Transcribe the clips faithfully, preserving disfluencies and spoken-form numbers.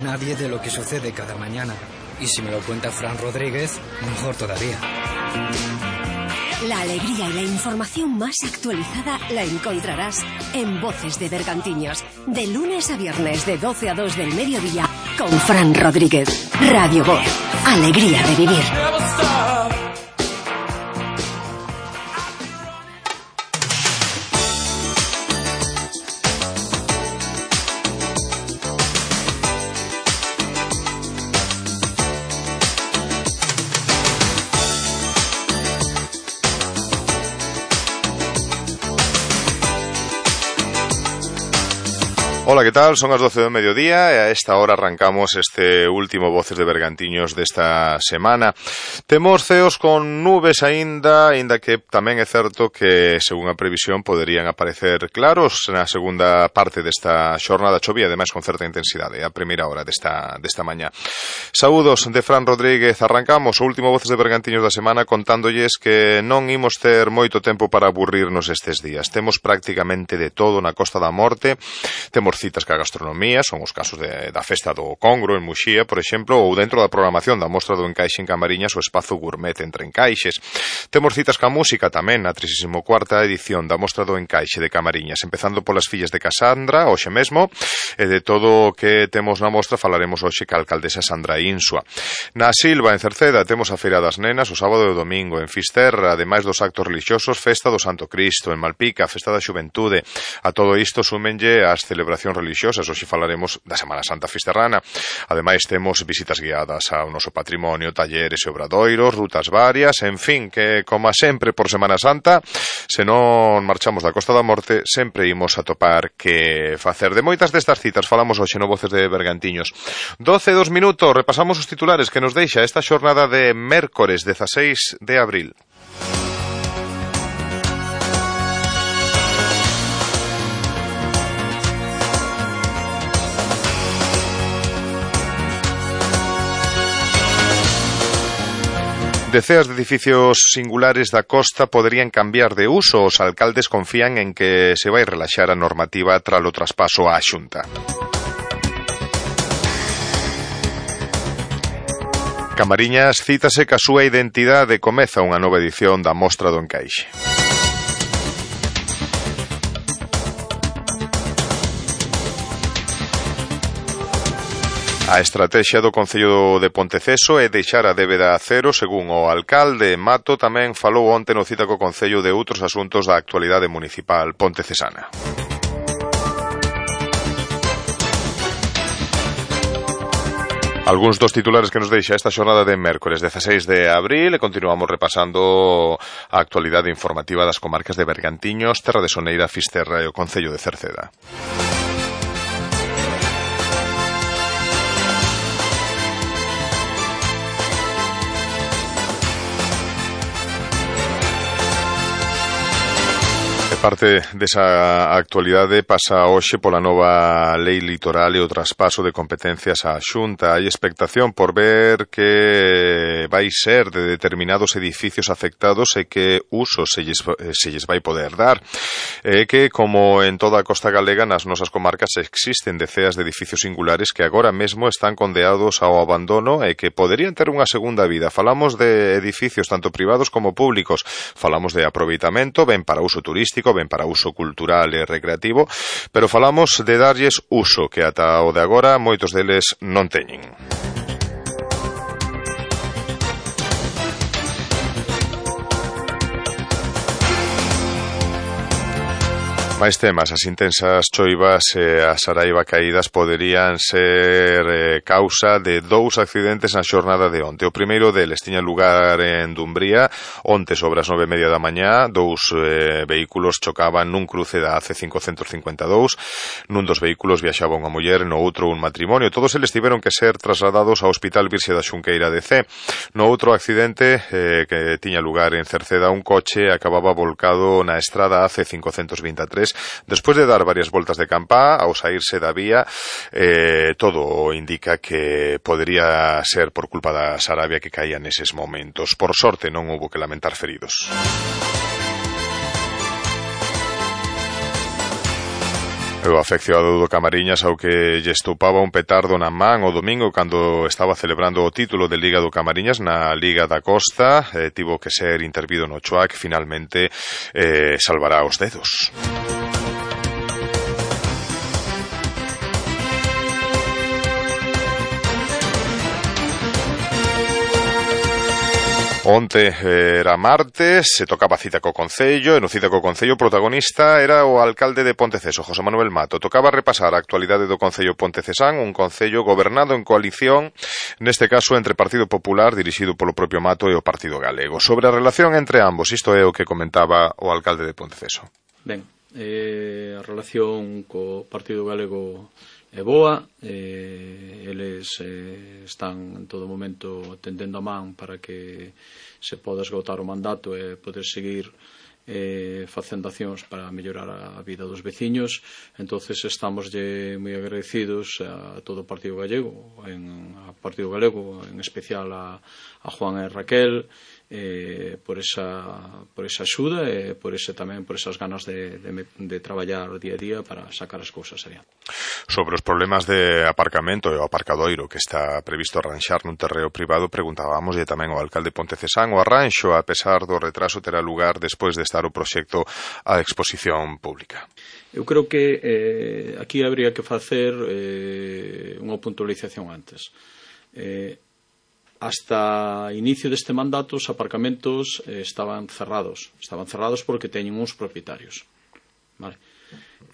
nadie de lo que sucede cada mañana. Y si me lo cuenta Fran Rodríguez, mejor todavía. La alegría y la información más actualizada la encontrarás en Voces de Bergantiños, de lunes a viernes de doce a dos del mediodía, con Fran Rodríguez. Radio Voz, alegría de vivir. Ola, que tal? Son as doce do mediodía e a esta hora arrancamos este último Voces de Bergantiños desta semana. Temos ceos con nubes aínda, aínda que tamén é certo que, según a previsión, poderían aparecer claros na segunda parte desta xornada. Chovía, ademais, con certa intensidade a primeira hora desta, desta mañá. Saúdos de Fran Rodríguez. Arrancamos o último Voces de Bergantiños da semana contándolles que non imos ter moito tempo para aburrirnos estes días. Temos prácticamente de todo na Costa da Morte. Temos citas ca gastronomía, son os casos de, da festa do Congro en Muxía, por exemplo, ou dentro da programación da Mostra do Encaixe en Camariñas, o espazo gourmet entre encaixes. Temos citas ca música tamén na trigésima cuarta edición da Mostra do Encaixe de Camariñas, empezando polas fillas de Casandra, hoxe mesmo, e de todo o que temos na mostra falaremos hoxe ca alcaldesa Sandra Insua. Na Silva, en Cerceda, temos a Feira das Nenas o sábado e o domingo. En Fisterra, ademais dos actos religiosos, festa do Santo Cristo. En Malpica, festa da Xuventude. A todo isto súmenlle as celebracións religiosas. Hoxe falaremos da Semana Santa Fisterrana. Ademais, temos visitas guiadas ao noso patrimonio, talleres e obradoiros, rutas varias, en fin, que, como sempre, por Semana Santa, se non marchamos da Costa da Morte, sempre imos a topar que facer. De moitas destas citas falamos hoxe no Voces de Bergantiños. doce e dos minutos, repasamos os titulares que nos deixa esta xornada de mércores dezaseis de abril. Deceas de edificios singulares da costa poderían cambiar de uso. Os alcaldes confían en que se vai relaxar a normativa tras o traspaso á Xunta. Camariñas cítase ca súa identidade, comeza unha nova edición da Mostra do Encaixe. A estrategia do Concello de Ponteceso é deixar a débeda a cero, según o alcalde. Mato tamén falou onte no cita co Concello de outros asuntos da actualidade municipal pontecesana. Algúns dos titulares que nos deixa esta xornada de mércores dezaseis de abril, e continuamos repasando a actualidade informativa das comarcas de Bergantiños, Terra de Soneira, Fisterra e o Concello de Cerceda. Parte desa actualidade pasa hoxe pola nova lei litoral e o traspaso de competencias á Xunta. Hai expectación por ver que vai ser de determinados edificios afectados e que uso se lles, se lles vai poder dar. E que, como en toda a costa galega, nas nosas comarcas existen deceas de edificios singulares que agora mesmo están condeados ao abandono e que poderían ter unha segunda vida. Falamos de edificios tanto privados como públicos. Falamos de aproveitamento, ben para uso turístico, ben para uso cultural e recreativo, pero falamos de darlles uso, que ata o de agora moitos deles non teñen. Máis temas, as intensas choivas e as araiba caídas poderían ser eh, causa de dous accidentes na xornada de onte. O primeiro deles tiña lugar en Dumbría, onte sobre as nove e media da mañá, dous eh, vehículos chocaban nun cruce da A C cincocentos cincuenta e dous, nun dos vehículos viaxaba unha muller, no outro un matrimonio. Todos eles tiveron que ser trasladados ao Hospital Virxe da Xunqueira de Cee. No outro accidente eh, que tiña lugar en Cerceda, un coche acababa volcado na estrada A C cincocentos vinte e tres. Despois de dar varias voltas de campá, ao saírse da vía, eh, todo indica que podería ser por culpa da sarabia que caía neses momentos. Por sorte non houbo que lamentar feridos. O afeccionado do Camariñas ao que lle estopaba un petardo na man o domingo cando estaba celebrando o título de Liga do Camariñas na Liga da Costa, eh, tivo que ser intervido no Choa, que finalmente eh, salvará os dedos. Onte era martes, se tocaba cita co Concello, e no cita co Concello o protagonista era o alcalde de Ponteceso, José Manuel Mato. Tocaba repasar a actualidade do Concello Pontecesán, un concello gobernado en coalición, neste caso entre Partido Popular, dirixido polo propio Mato, e o Partido Galego. Sobre a relación entre ambos, isto é o que comentaba o alcalde de Ponteceso. Ben, eh, a relación co Partido Galego é boa, eh, eles eh, están en todo momento tendendo a man para que se poda esgotar o mandato e poder seguir eh, facendo accións para mellorar a vida dos veciños. Entonces estamos moi agradecidos a todo o Partido Gallego, en, a Partido Galego, en especial a, a Juan e Raquel, eh, por esa por esa axuda e por ese tamén por esas ganas de, de, de traballar día a día para sacar as cousas adiante. Sobre os problemas de aparcamento e o aparcadoiro que está previsto arranxar nun terreo privado, preguntábamos tamén ao alcalde Pontecesán: o arranxo, a pesar do retraso, terá lugar despois de estar o proxecto a exposición pública? Eu creo que eh, aquí habría que facer eh, unha puntualización antes. Eh, hasta inicio deste mandato os aparcamentos eh, estaban cerrados. Estaban cerrados porque teñen uns propietarios. Vale.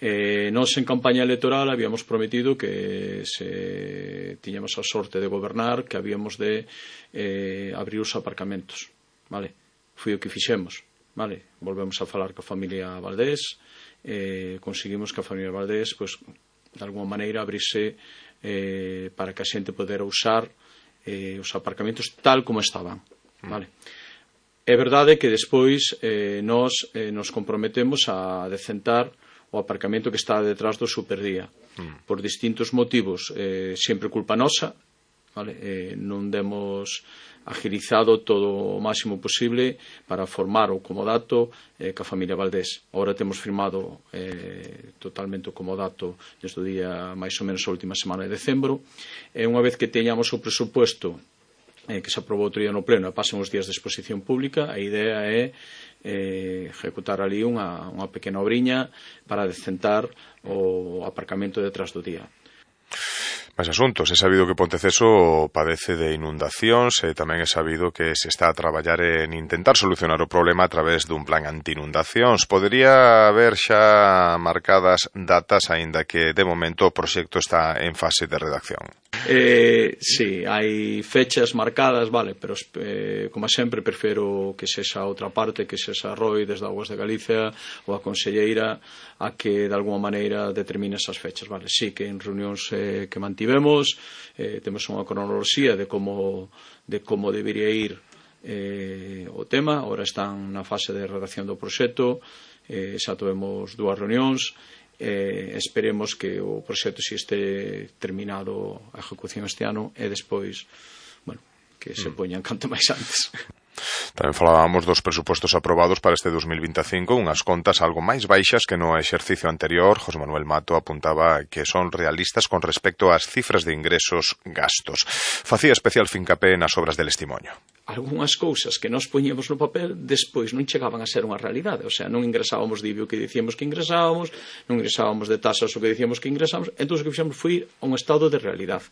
Eh, nos en campaña electoral habíamos prometido que se tiñamos a sorte de gobernar, que habíamos de eh, abrir os aparcamentos. Vale. Foi o que fixemos. Vale. Volvemos a falar coa familia Valdés, eh, conseguimos que a familia Valdés, pues, de alguma maneira abrirse eh, para que a xente podera usar eh, os aparcamentos tal como estaban. Vale. É verdade que despois eh, nos, eh, nos comprometemos a decentar o aparcamento que está detrás do Superdía. Mm. Por distintos motivos, eh, sempre culpa nosa, vale? Eh, non demos agilizado todo o máximo posible para formar o comodato eh, ca familia Valdés. Agora temos firmado eh, totalmente o comodato desde o día máis ou menos a última semana de decembro, e unha vez que teñamos o presupuesto eh, que se aprobou outro día no pleno e pasen os días de exposición pública, a idea é eh, ejecutar ali unha, unha pequena obriña para decentar o aparcamento detrás do día. Máis asuntos. É sabido que Ponteceso padece de inundacións e tamén é sabido que se está a traballar en intentar solucionar o problema a través dun plan anti-inundacións. Podería haber xa marcadas datas, aínda que de momento o proxecto está en fase de redacción. Eh, sí, hai fechas marcadas, vale, pero eh, como sempre prefiro que sexa outra parte, que sexa Roi desde Augas de Galicia ou a conselleira a que de alguma maneira determine esas fechas, vale. Sí, que en reunións eh, que mantivemos eh, temos unha cronoloxía de como de como debería ir eh, o tema. Ahora están na fase de redacción do proxecto, eh, xa tivemos dúas reunións. Eh, esperemos que o proxecto si este terminado a ejecución este ano e despois, bueno, que se poñan canto máis antes. Tamén falábamos dos presupostos aprobados para este dos mil vinte e cinco, unhas contas algo máis baixas que no exercicio anterior. José Manuel Mato apuntaba que son realistas con respecto ás cifras de ingresos gastos. Facía especial fincapé nas obras del Estimonio. Algúnas cousas que nos poñíamos no papel despois non chegaban a ser unha realidade, o sea, non ingresábamos de I B I o que dicíamos que ingresábamos, non ingresábamos de tasas o que dicíamos que ingresábamos, entón o que fixemos foi a un estado de realidade.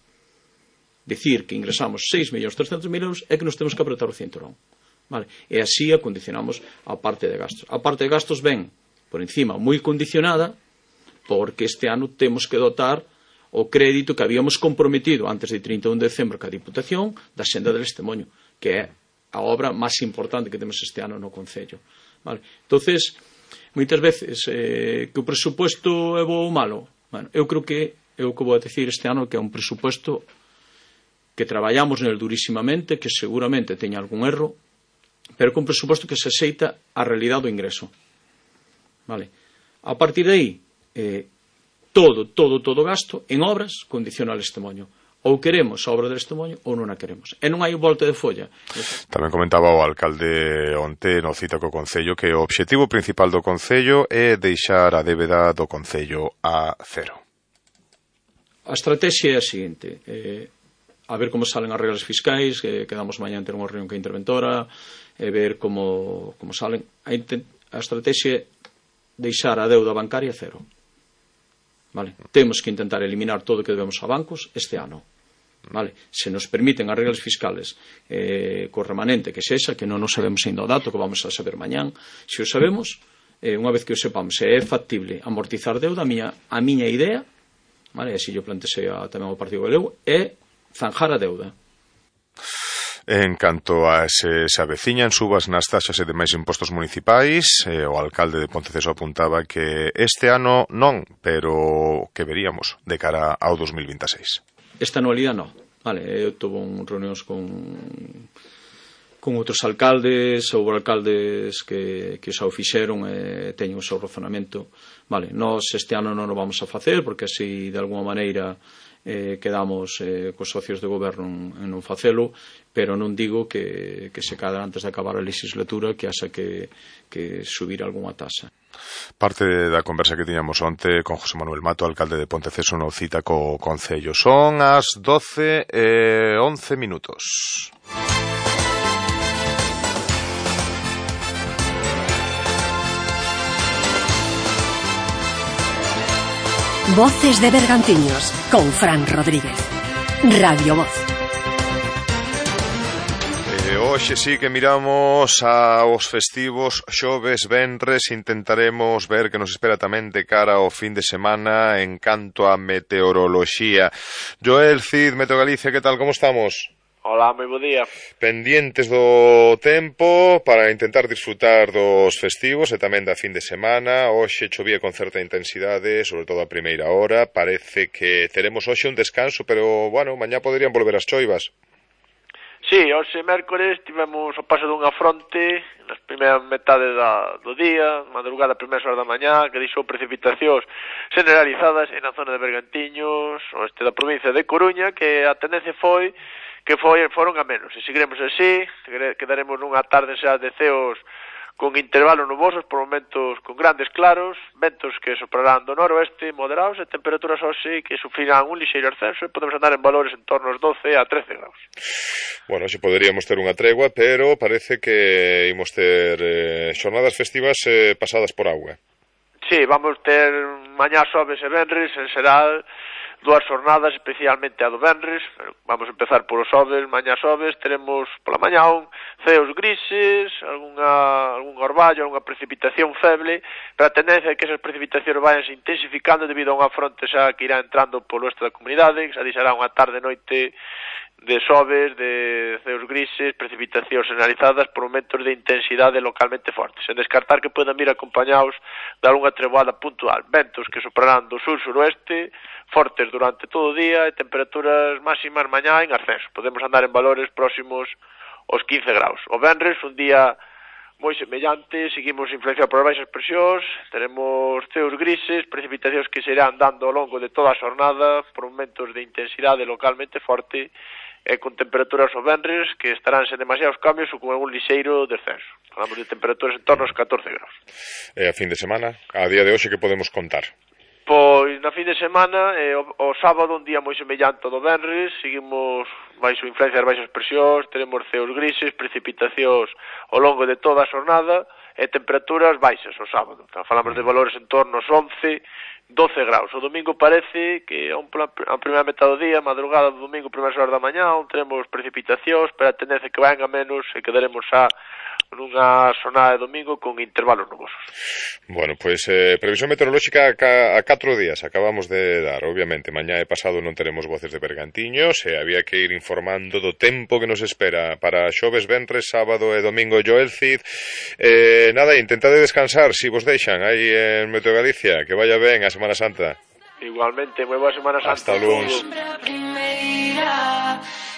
Dicir que ingresamos seis millóns trescentos mil euros é que nos temos que apretar o cinturón. Vale. E así acondicionamos a parte de gastos. A parte de gastos ven, por encima, moi condicionada, porque este ano temos que dotar o crédito que habíamos comprometido antes de trinta e un de decembro ca Diputación da Senda del Estemoño, que é a obra máis importante que temos este ano no Concello. Vale. Entonces, moitas veces, eh, que o presupuesto é bo ou malo? Bueno, eu creo que é o que vou a decir este ano, que é un presupuesto que traballamos nel durísimamente, que seguramente teña algún erro, pero que un presuposto que se aceita a realidade do ingreso. Vale. A partir de aí, eh, todo, todo, todo gasto en obras condiciona al Estemoño. ou queremos a obra de Estremoño ou non a queremos, e non hai volta de folla. Tamén comentaba o alcalde onte no cita co Concello que o obxectivo principal do Concello é deixar a débeda do Concello a cero. A estrategia é a seguinte: eh, a ver como salen as reglas fiscais, eh, quedamos mañá en ter unha reunión que interventora, e ver como, como salen. A, a estrategia é deixar a deuda bancaria a cero. Vale? Temos que intentar eliminar todo o que debemos a bancos este ano. Vale? Se nos permiten as reglas fiscales eh, co remanente que sexa, que non nos sabemos ainda o dato, que vamos a saber mañán, se o sabemos, eh, unha vez que o sepamos, se é factible amortizar deuda, a miña, a miña idea, vale? E se yo plantexei tamén o Partido Galego, é zanjar a deuda. En canto a se se aveciñan subas nas taxas e demais impostos municipais, eh, o alcalde de Ponteceso apuntaba que este ano non, pero que veríamos de cara ao dos mil vinte e seis. Esta anualidade non. Vale, eu tuve un reunións con con outros alcaldes ou alcaldes que, que xa o fixeron e teñen o seu razonamento. Vale, nós este ano non o vamos a facer porque así de alguma maneira eh, quedamos eh, cos socios de goberno en non facelo, pero non digo que, que se cadra antes de acabar a legislatura que haxa que, que subir algunha tasa. Parte da conversa que tiñamos onte con José Manuel Mato, alcalde de Ponteceso, no cita co Concello. Son as doce e once minutos. Voces de Bergantiños con Fran Rodríguez. Radio Voz. Hoxe sí que miramos aos festivos xoves, venres, intentaremos ver que nos espera tamén de cara ao fin de semana en canto a meteoroloxía. Joel Cid, Meteo Galicia, que tal, como estamos? Hola, moi bo día. Pendientes do tempo para intentar disfrutar dos festivos e tamén da fin de semana. Hoxe chovía con certa intensidade, sobre todo a primeira hora. Parece que teremos hoxe un descanso, pero, bueno, mañá poderían volver as choivas. Sí, hoxe mércores tivemos o paso dunha fronte nas primeiras metades da, do día, madrugada, primeiras horas da mañá, que deixou precipitacións generalizadas na zona de Bergantiños, oeste da provincia de Coruña, que a tendencia foi que foi, foron a menos. E seguiremos así, quedaremos nunha tarde xa de ceos con intervalos nubosos, por momentos con grandes claros, ventos que soprarán do noroeste moderados e temperaturas hoxe que sufrirán un lixeiro ascenso e podemos andar en valores en torno aos doce a trece graus. Bueno, xe poderíamos ter unha tregua, pero parece que imos ter eh, xornadas festivas eh, pasadas por agua. Sí, vamos ter mañá xoves e venres en xeral dúas jornadas, especialmente a do venres. Vamos a empezar por os xoves. Mañá xoves teremos pola mañá un ceos grises, algunha, algún orballo, algunha precipitación feble, pero a tendencia é que esas precipitacións vayan se intensificando debido a unha fronte xa que irá entrando polo oeste da comunidade, que xa deixará unha tarde e noite de xoves, de ceos grises, precipitacións generalizadas por momentos de intensidade localmente fortes, sen descartar que poden vir acompañados de algunha treboada puntual. Ventos que soprarán do sur-suroeste, fortes durante todo o día e temperaturas máximas mañá en ascenso. Podemos andar en valores próximos aos quince graus. O venres, un día moi semellante, seguimos influenciados por baixas presións, teremos ceos grises, precipitacións que se irán dando ao longo de toda a xornada por momentos de intensidade localmente forte e con temperaturas o venres que estarán sen demasiados cambios ou con algún lixeiro descenso. Falamos de temperaturas en torno aos catorce graus. E a fin de semana, a día de hoxe, que podemos contar? Pois na fin de semana, eh, o, o sábado, un día moi semellante ao do venres, seguimos baixo influencia das baixas presións, teremos ceos grises, precipitacións ao longo de toda a xornada e temperaturas baixas o sábado. Então, falamos de valores en torno aos once, doce graus. O domingo parece que a, un, a primeira metade do día, madrugada do domingo, primeiras horas da mañá, onde teremos precipitacións, pero a tendencia que vayan a menos e quedaremos xa nunha xornada de domingo con intervalos nubosos. Bueno, pois pues, eh, previsión meteorolóxica a, a catro días acabamos de dar, obviamente. Mañá e pasado non teremos Voces de Bergantiños e había que ir informando do tempo que nos espera para xoves, venres, sábado e domingo. Joel Cid, eh, nada, intentade descansar, si vos deixan aí en Meteo Galicia, que vaya ben a Semana Santa. Igualmente, moi boa Semana Santa. Hasta luns.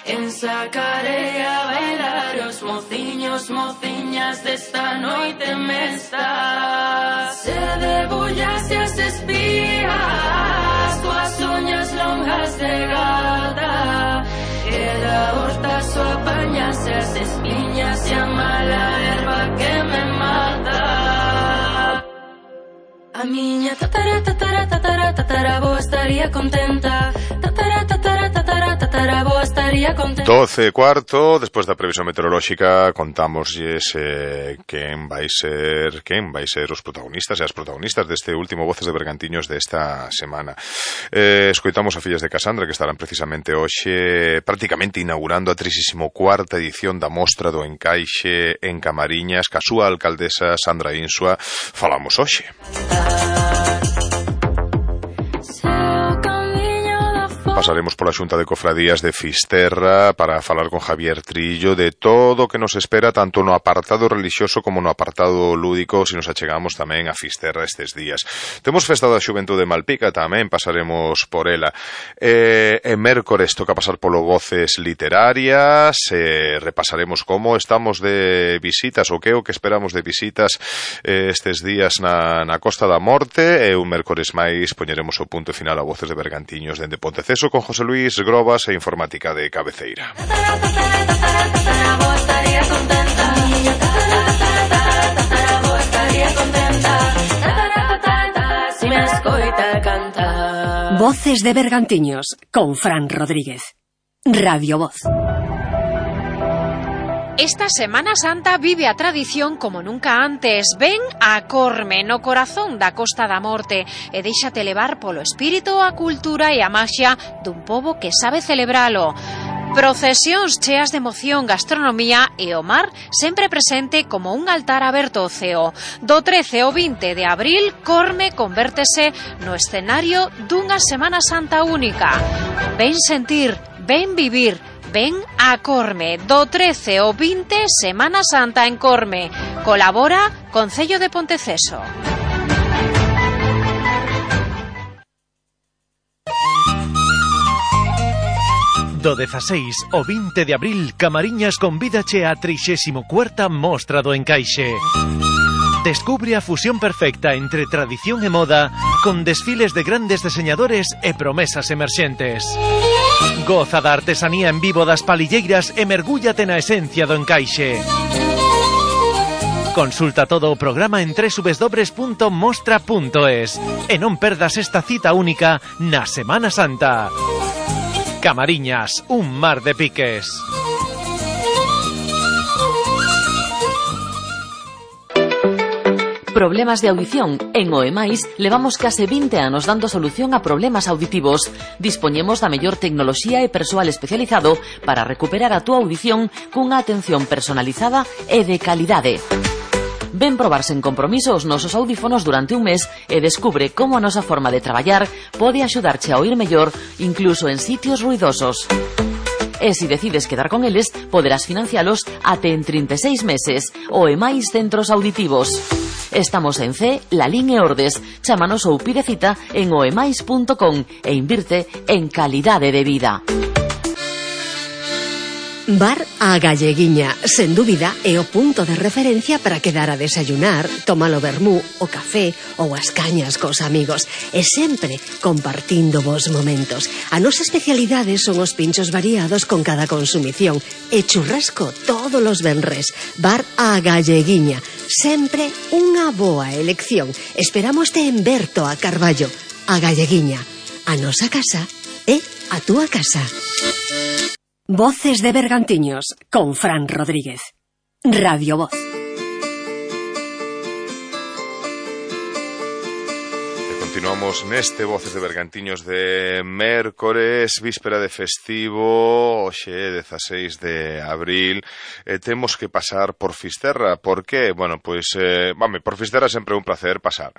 Ensacaré a bailar os mociños, mociñas desta noite mesta. Se debullas e as espías as tuas uñas longas de gata, e da horta só apañas as espiñas e a mala erva que me mata. A miña tatara, tatara, tatara, tataraboa estaría contenta. Tatara, tatara, tatara, tataraboa estaría contenta. doce e cuarto, despois da previsión meteorolóxica, contámoslles eh, quen vai ser quen vai ser os protagonistas e as protagonistas deste último Voces de Bergantiños desta semana. Eh, escoitamos a fillas de Casandra, que estarán precisamente hoxe prácticamente inaugurando a trinta e cuarta edición da Mostra do Encaixe en Camariñas, ca súa alcaldesa Sandra Insua. Falamos hoxe. Pasaremos pola Xunta de Cofradías de Fisterra para falar con Javier Trillo de todo o que nos espera tanto no apartado relixioso como no apartado lúdico se nos achegamos tamén a Fisterra estes días. Temos Festa da Xuventude de Malpica tamén, pasaremos por ela. E, e mércores toca pasar polo Voces Literarias, e repasaremos como estamos de visitas ou que o que esperamos de visitas eh, estes días na, na Costa da Morte, e un mércores máis poñeremos o punto final a Voces de Bergantiños dende Ponteceso con José Luis Grobas e Informática de Cabeceira. Voces de Bergantiños con Fran Rodríguez. Radio Voz. Esta Semana Santa vive a tradición como nunca antes. Ven a Corme, no corazón da Costa da Morte, e déixate levar polo espírito, a cultura e a maxia dun pobo que sabe celebralo. Procesións cheas de emoción, gastronomía e o mar sempre presente como un altar aberto ao ceo. Do trece ao vinte de abril, Corme convértese no escenario dunha Semana Santa única. Ven sentir, ven vivir, ven a Corme. Do trece ao vinte, Semana Santa en Corme. Colabora Concello de Ponteceso. Do dezaseis ao vinte de abril, Camariñas convídache a trixésima cuarta Mostra do Encaixe. Descubre a fusión perfecta entre tradición e moda, con desfiles de grandes diseñadores e promesas emerxentes. Goza da artesanía en vivo das palilleiras e mergúllate na esencia do encaixe. Consulta todo o programa en doble u doble u doble u punto mostra punto es e non perdas esta cita única na Semana Santa. Camariñas, un mar de piques. Problemas de audición. En Oemais levamos case vinte anos dando solución a problemas auditivos. Dispoñemos da mellor tecnoloxía e persoal especializado para recuperar a túa audición cunha atención personalizada e de calidade. Ven probar sen compromiso os nosos audífonos durante un mes e descubre como a nosa forma de traballar pode axudarche a oír mellor incluso en sitios ruidosos. E se decides quedar con eles, poderás financialos até en trinta e seis meses. Oemais Centros Auditivos. Estamos en C, Lalín e Ordes. Chámanos ou pide cita en oemais punto com e invirte en calidade de vida. Bar A Galleguiña, sen dúbida, é o punto de referencia para quedar a desayunar, tomar o vermú, o café ou as cañas cos amigos, e sempre compartindo vos momentos. A nosa especialidade son os pinchos variados con cada consumición e churrasco todos os venres. Bar A Galleguiña, sempre unha boa elección. Esperámoste en Berto a Carballo. A Galleguiña, a nosa casa é a túa casa. Voces de Bergantiños con Fran Rodríguez. Radio Voz. Continuamos neste Voces de Bergantiños de mércores, víspera de festivo, hoxe dezaseis de abril, e temos que pasar por Fisterra. Por que? Bueno, pois, eh, vame, por Fisterra sempre é un placer pasar,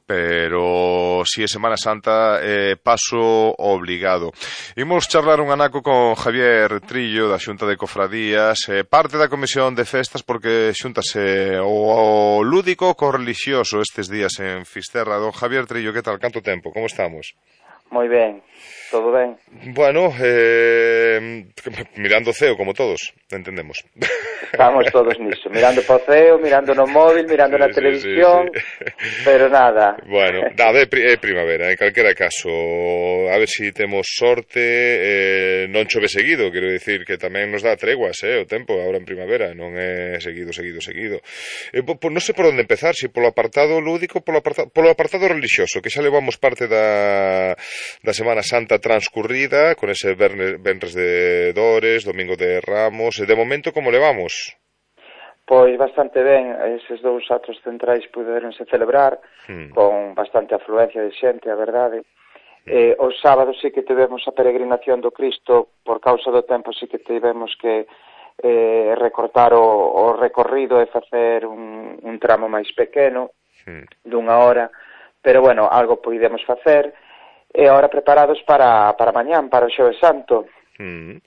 pero si é Semana Santa, eh, paso obligado. Imos charlar un anaco con Javier Trillo da Xunta de Cofradías, eh, parte da Comisión de Festas, porque xuntase o, o lúdico co relixioso estes días en Fisterra. Don Javier Trillo, que tal? Canto tempo? Como estamos? Moi ben, todo ben. Bueno, eh, mirando o ceo como todos, entendemos. Estamos todos niso, mirando po ceo, mirando no móvil, mirando na sí, televisión, sí, sí. pero nada. Bueno, nada, é, é primavera, en calquera caso, a ver si temos sorte, eh, non chove seguido, quero dicir que tamén nos dá treguas, eh, o tempo agora en primavera, non é seguido, seguido, seguido. Eh, po, po, non sei por onde empezar, si polo apartado lúdico, polo apartado, polo apartado religioso, que xa levamos parte da, da Semana Santa transcurrida, con ese Venres de Dores, Domingo de Ramos, e de momento como levamos? Pois bastante ben, eses dous atos centrais puderonse celebrar hmm. con bastante afluencia de xente, a verdade. Eh, os sábados sí que tivemos a peregrinación do Cristo, por causa do tempo sí que tivemos que eh, recortar o, o recorrido e facer un, un tramo máis pequeno, hmm. dunha hora, pero bueno, algo podemos facer, e agora preparados para, para mañán, para o Xoves Santo. Mm.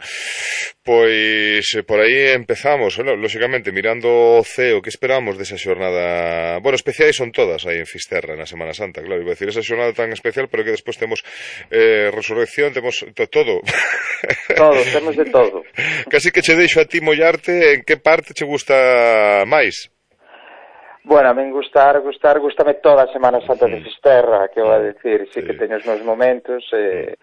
Pois por aí empezamos, ¿no? Lóxicamente mirando o ceo, que esperamos desa xornada? Bueno, especiais son todas aí en Fisterra na Semana Santa, claro, iba a decir esa xornada tan especial, pero que despois temos eh, resurrección, temos to todo. Todo, temos de todo. Casi que che deixo a ti mollarte, en que parte che gusta máis? Bueno, a min gustar, gustar, gustame toda a Semana Santa de Fisterra, que vou a decir, sí, sí que teño os meus momentos, eh,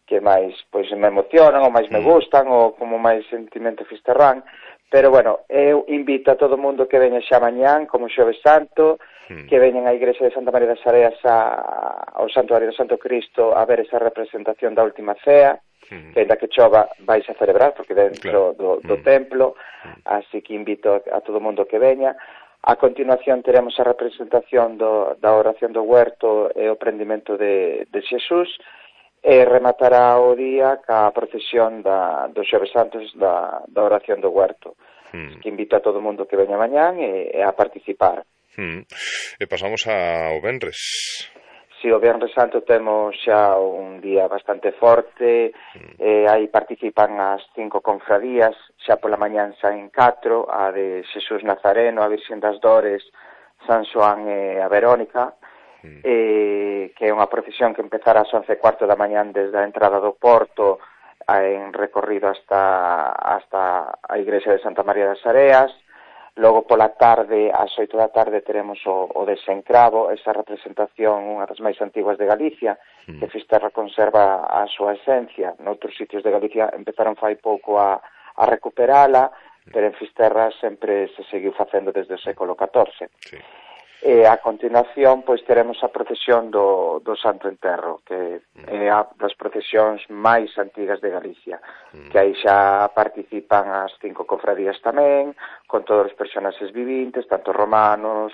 que máis pois me emocionan ou máis me gustan ou como máis sentimento fisterrán, pero bueno, eu invito a todo mundo que veña xa mañán como Xoves Santo, mm. que veñan á Igrexa de Santa María das Areas a, ao Santuario do Santo Cristo a ver esa representación da Última Cea, mm. que ainda que chova vais a celebrar porque dentro claro. do, do mm. templo, así que invito a, a todo mundo que veña. A continuación teremos a representación do, da oración do huerto e o prendimento de, de Xesús, e rematará o día ca procesión da, dos Xoves Santos da, da oración do huerto, hmm. que invito a todo o mundo que veña mañán e, e a participar. Hmm. E pasamos ao Venres. Si, o Venres Santo temos xa un día bastante forte, hmm. e aí participan as cinco confradías, xa pola mañán saen catro, a de Xesús Nazareno, a Virxen das Dores, San Xoán e a Verónica, Eh, que é unha procesión que empezará ás once e cuarto da mañán desde a entrada do Porto en recorrido hasta, hasta a Igrexa de Santa María das Areas. Logo pola tarde, ás oito da tarde, teremos o, o desencravo, esa representación, unha das máis antiguas de Galicia, mm. que Fisterra conserva a súa esencia. Noutros sitios de Galicia empezaron fai pouco a, a recuperala, mm. pero en Fisterra sempre se seguiu facendo desde o século catorce. Sí. E a continuación, pois, teremos a procesión do, do Santo Enterro, que mm. é a das procesións máis antigas de Galicia, mm. que aí xa participan as cinco cofradías tamén, con todos os personaxes vivintes, tanto romanos,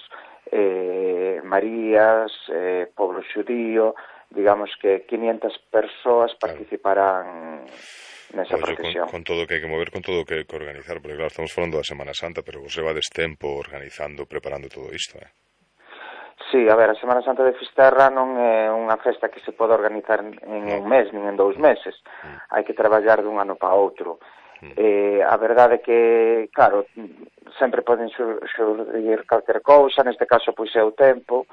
eh, Marías, eh, pobo xudío, digamos que quinientas persoas participarán nesa pues procesión. Con, con todo o que hai que mover, con todo o que hai que organizar, porque claro, estamos falando da Semana Santa, pero vos levades tempo organizando, preparando todo isto, eh? Sí, a ver, a Semana Santa de Fisterra non é unha festa que se pode organizar en un mes, nin en dous meses. Mm. Hai que traballar dun ano para outro. Mm. Eh, a verdade é que, claro, sempre poden xurdir calquer cousa, neste caso, pois é o tempo,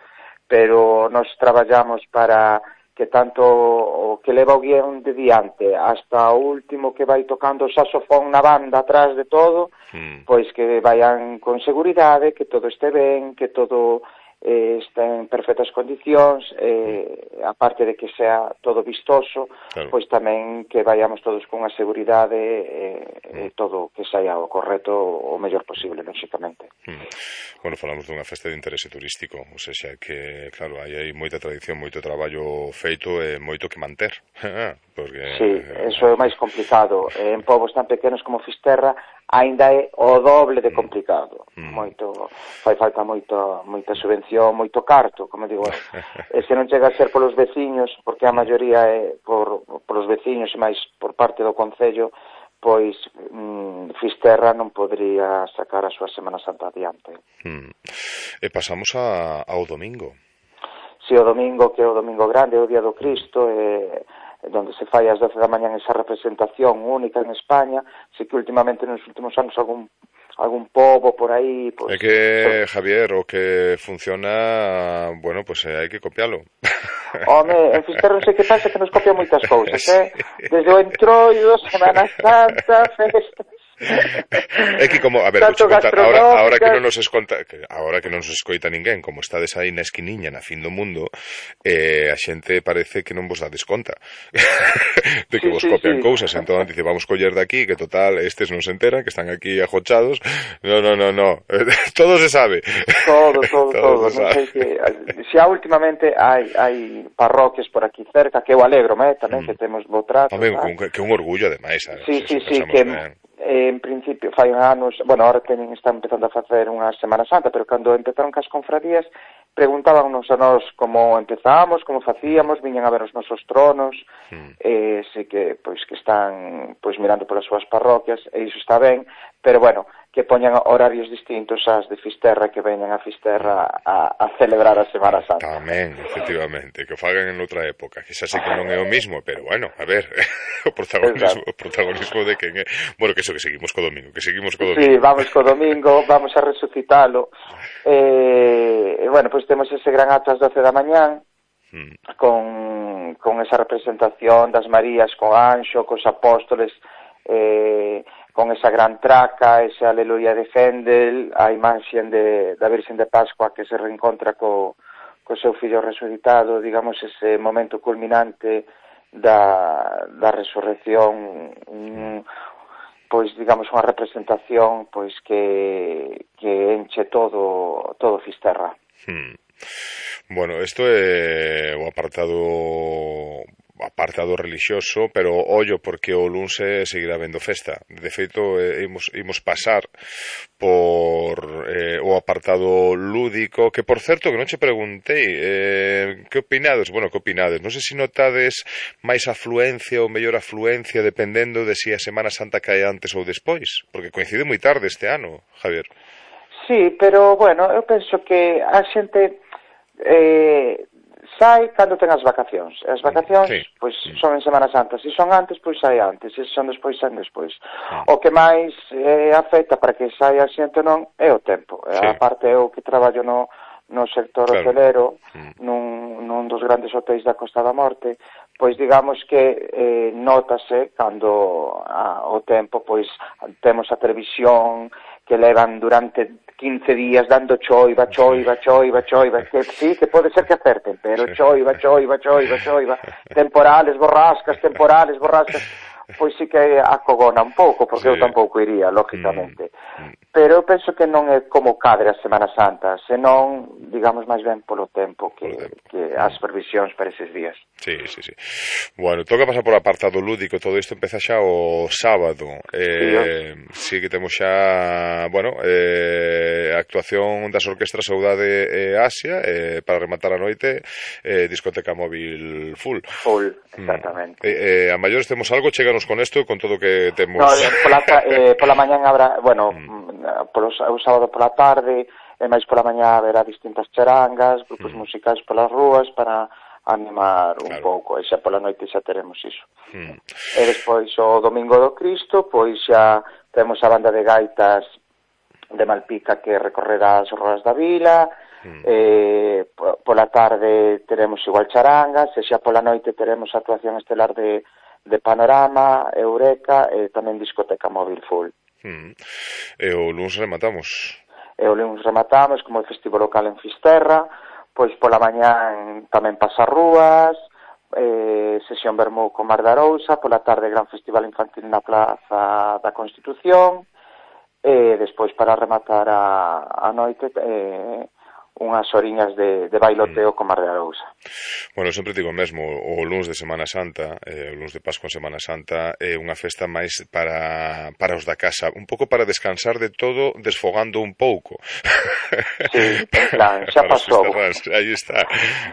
pero nós traballamos para que tanto o que leva o guión de diante hasta o último que vai tocando o saxofón na banda atrás de todo, mm. pois que vayan con seguridade, que todo este ben, que todo eh, está en perfectas condicións, eh, aparte de que sea todo vistoso, claro. pois tamén que vayamos todos con a seguridade e eh, eh, todo que saia o correcto o mellor posible, lógicamente. Mm. Bueno, falamos dunha festa de interese turístico, ou seja, que, claro, hai, hai moita tradición, moito traballo feito e moito que manter. Porque, sí, eso é máis complicado. En povos tan pequenos como Fisterra, aínda é o doble de complicado. Mm. Moito, fai falta moito, moita subvención, moito carto, como digo. E se non chega a ser polos veciños, porque a maioría é por, polos veciños e máis por parte do Concello, pois mm, Fisterra non podría sacar a súa Semana Santa adiante. Mm. E pasamos a, ao domingo. Si, o domingo, que é o domingo grande, é o Día do Cristo, e donde se fai ás doce da mañán esa representación única en España. Si que últimamente nos últimos anos algún algún pobo por aí... Pues, é que, Javier, o que funciona, bueno, pues eh, hai que copialo. Home, en Fisterra non sei que pasa, que nos copia moitas cousas, eh? Desde o entroido, Semana Santa, festas... É que como, a ver, vou contar, ahora, ahora que non nos esconta, que ahora que non nos escoita ninguén, como estades aí na esquiniña, na fin do mundo, eh, a xente parece que non vos dades conta de que sí, vos copian sí, sí. cousas, entón dice, vamos coller de aquí, que total, estes non se enteran, que están aquí ajochados, no, no, no, no, todo se sabe. Todo, todo, todo, todo. Non sei que, xa últimamente hai, hai parroquias por aquí cerca, que eu alegro, eh, tamén mm. que temos bo trato. Home, que, que un orgullo, ademais, eh, sí, sí, sí, que... Ben. Eh, en principio, fai anos, bueno, ahora tenen, están empezando a facer unha Semana Santa, pero cando empezaron cas confradías, preguntábanos a nós como empezamos, como facíamos, viñan a ver os nosos tronos, mm. eh, sei que, pois, que están, pois, mirando polas súas parroquias, e iso está ben, pero, bueno, que poñan horarios distintos ás de Fisterra, que veñan a Fisterra a, a celebrar a Semana Santa. Tamén, efectivamente, que o fagan en outra época, que xa sei que non é o mismo, pero, bueno, a ver, o protagonismo, o protagonismo de quen é, bueno, que iso que seguimos co domingo, que seguimos co domingo. Sí, vamos co domingo, vamos a resucitalo. Eh, bueno, pois pues temos ese gran acto ás doce da mañán, mm. con, con esa representación das Marías, co anxo, cos apóstoles, eh, con esa gran traca, esa aleluya de Händel, a imaxen de, da Virxen de Pascua que se reencontra co, co seu fillo resucitado, digamos, ese momento culminante da, da resurrección, un, pois, digamos, unha representación pois que, que enche todo, todo Fisterra. Hmm. Bueno, isto é o apartado... apartado religioso, pero ollo porque o lunse seguirá vendo festa. De feito, eh, imos, imos pasar por eh, o apartado lúdico, que por certo, que non che preguntei, eh, que opinades? Bueno, que opinades? Non sei se notades máis afluencia ou mellor afluencia dependendo de si a Semana Santa cae antes ou despois, porque coincide moi tarde este ano, Javier. Sí, pero, bueno, eu penso que a xente... Eh, sai cando ten as vacacións. As vacacións, sí. pois, son en Semana Santa. Se son antes, pois sai antes. Se son despois, saen despois. Sí. O que máis eh, afecta para que saia a xente non é o tempo. Sí. A parte eu que traballo no, no sector claro. hotelero, mm. nun, nun dos grandes hotéis da Costa da Morte, pois digamos que eh, nótase cando a, o tempo, pois temos a televisión que levan durante quince días dando choiva, choiva, choiva, choiva, que sí, que pode ser que acerten, pero choiva, choiva, choiva, choiva, temporales, borrascas, temporales, borrascas, pois sí que acogona un pouco, porque sí. eu tampouco iría, lógicamente. Mm. Pero eu penso que non é como cadre a Semana Santa, senón, digamos, máis ben polo tempo que, tempo. que as previsións para eses días. Sí, sí, sí. Bueno, toca pasar por apartado lúdico, todo isto empeza xa o sábado. Eh, sí, sí que temos xa, bueno, eh, a actuación das orquestras Saudade e Asia, eh, para rematar a noite, eh, discoteca móvil full. Full, exactamente. Mm. Eh, eh, a maiores temos algo, cheganos con isto, con todo que temos... No, pola, eh, pola mañán habrá, bueno, mm. polo, o sábado pola tarde, e máis pola mañá haberá distintas charangas, grupos mm. musicais polas rúas para animar un claro. pouco, e xa pola noite xa teremos iso. Mm. E despois o Domingo do Cristo, pois xa temos a banda de gaitas de Malpica que recorrerá as ruas da vila, mm. eh, pola tarde teremos igual charangas, e xa pola noite teremos a actuación estelar de, de Panorama, Eureka e tamén discoteca móvil full. Mm. E o lunes rematamos? E o lunes rematamos como o festival local en Fisterra, pois pola mañán tamén Pasarrúas, eh, sesión Vermú con Mar de Arousa, pola tarde gran festival infantil na Plaza da Constitución, e despois para rematar a, a noite eh, unhas horiñas de, de bailoteo mm. con Mar de Arousa. Bueno, sempre digo mesmo, o lunes de Semana Santa, eh, o lunes de Pascua en Semana Santa, é unha festa máis para, para os da casa, un pouco para descansar de todo, desfogando un pouco. Sí, en plan, xa pasou. Aí está,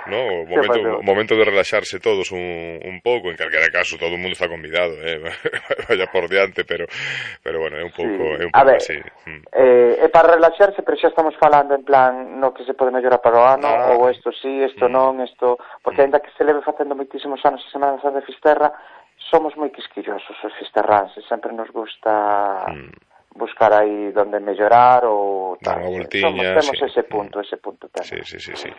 no? O momento, o momento de relaxarse todos un, un pouco, en calquera caso, todo o mundo está convidado, eh? Vaya por diante, pero, pero bueno, é un pouco, sí. é un pouco ver, así. Eh, é para relaxarse, pero xa estamos falando en plan, no que se pode mellorar para o ano, ah. ou isto sí, isto mm. non, isto... Porque ainda que se leve facendo moitísimos anos a Semana Santa de Fisterra, somos moi quisquillosos os fisterranses, sempre nos gusta mm. buscar aí donde mellorar ou dar unha voltiña, temos sí. ese punto, ese punto tamén. Sí, sí, sí, sí.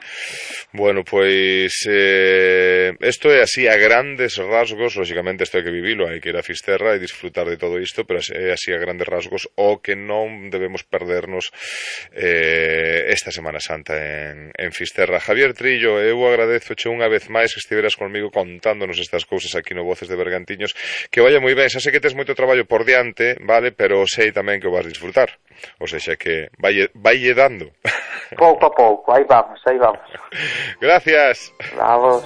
Bueno, pois eh, isto é así a grandes rasgos, lógicamente isto hai que vivilo, hai que ir a Fisterra e disfrutar de todo isto, pero é así a grandes rasgos o que non debemos perdernos eh, esta Semana Santa en, en Fisterra. Javier Trillo, eu agradezoche unha vez máis que estiveras conmigo contándonos estas cousas aquí no Voces de Bergantiños, que vaya moi ben, xa sei que tes moito traballo por diante, vale, pero sei tamén que o vas disfrutar, o seja que vai, vai dando. Pouco a pouco, aí vamos, aí vamos. Gracias. Vamos.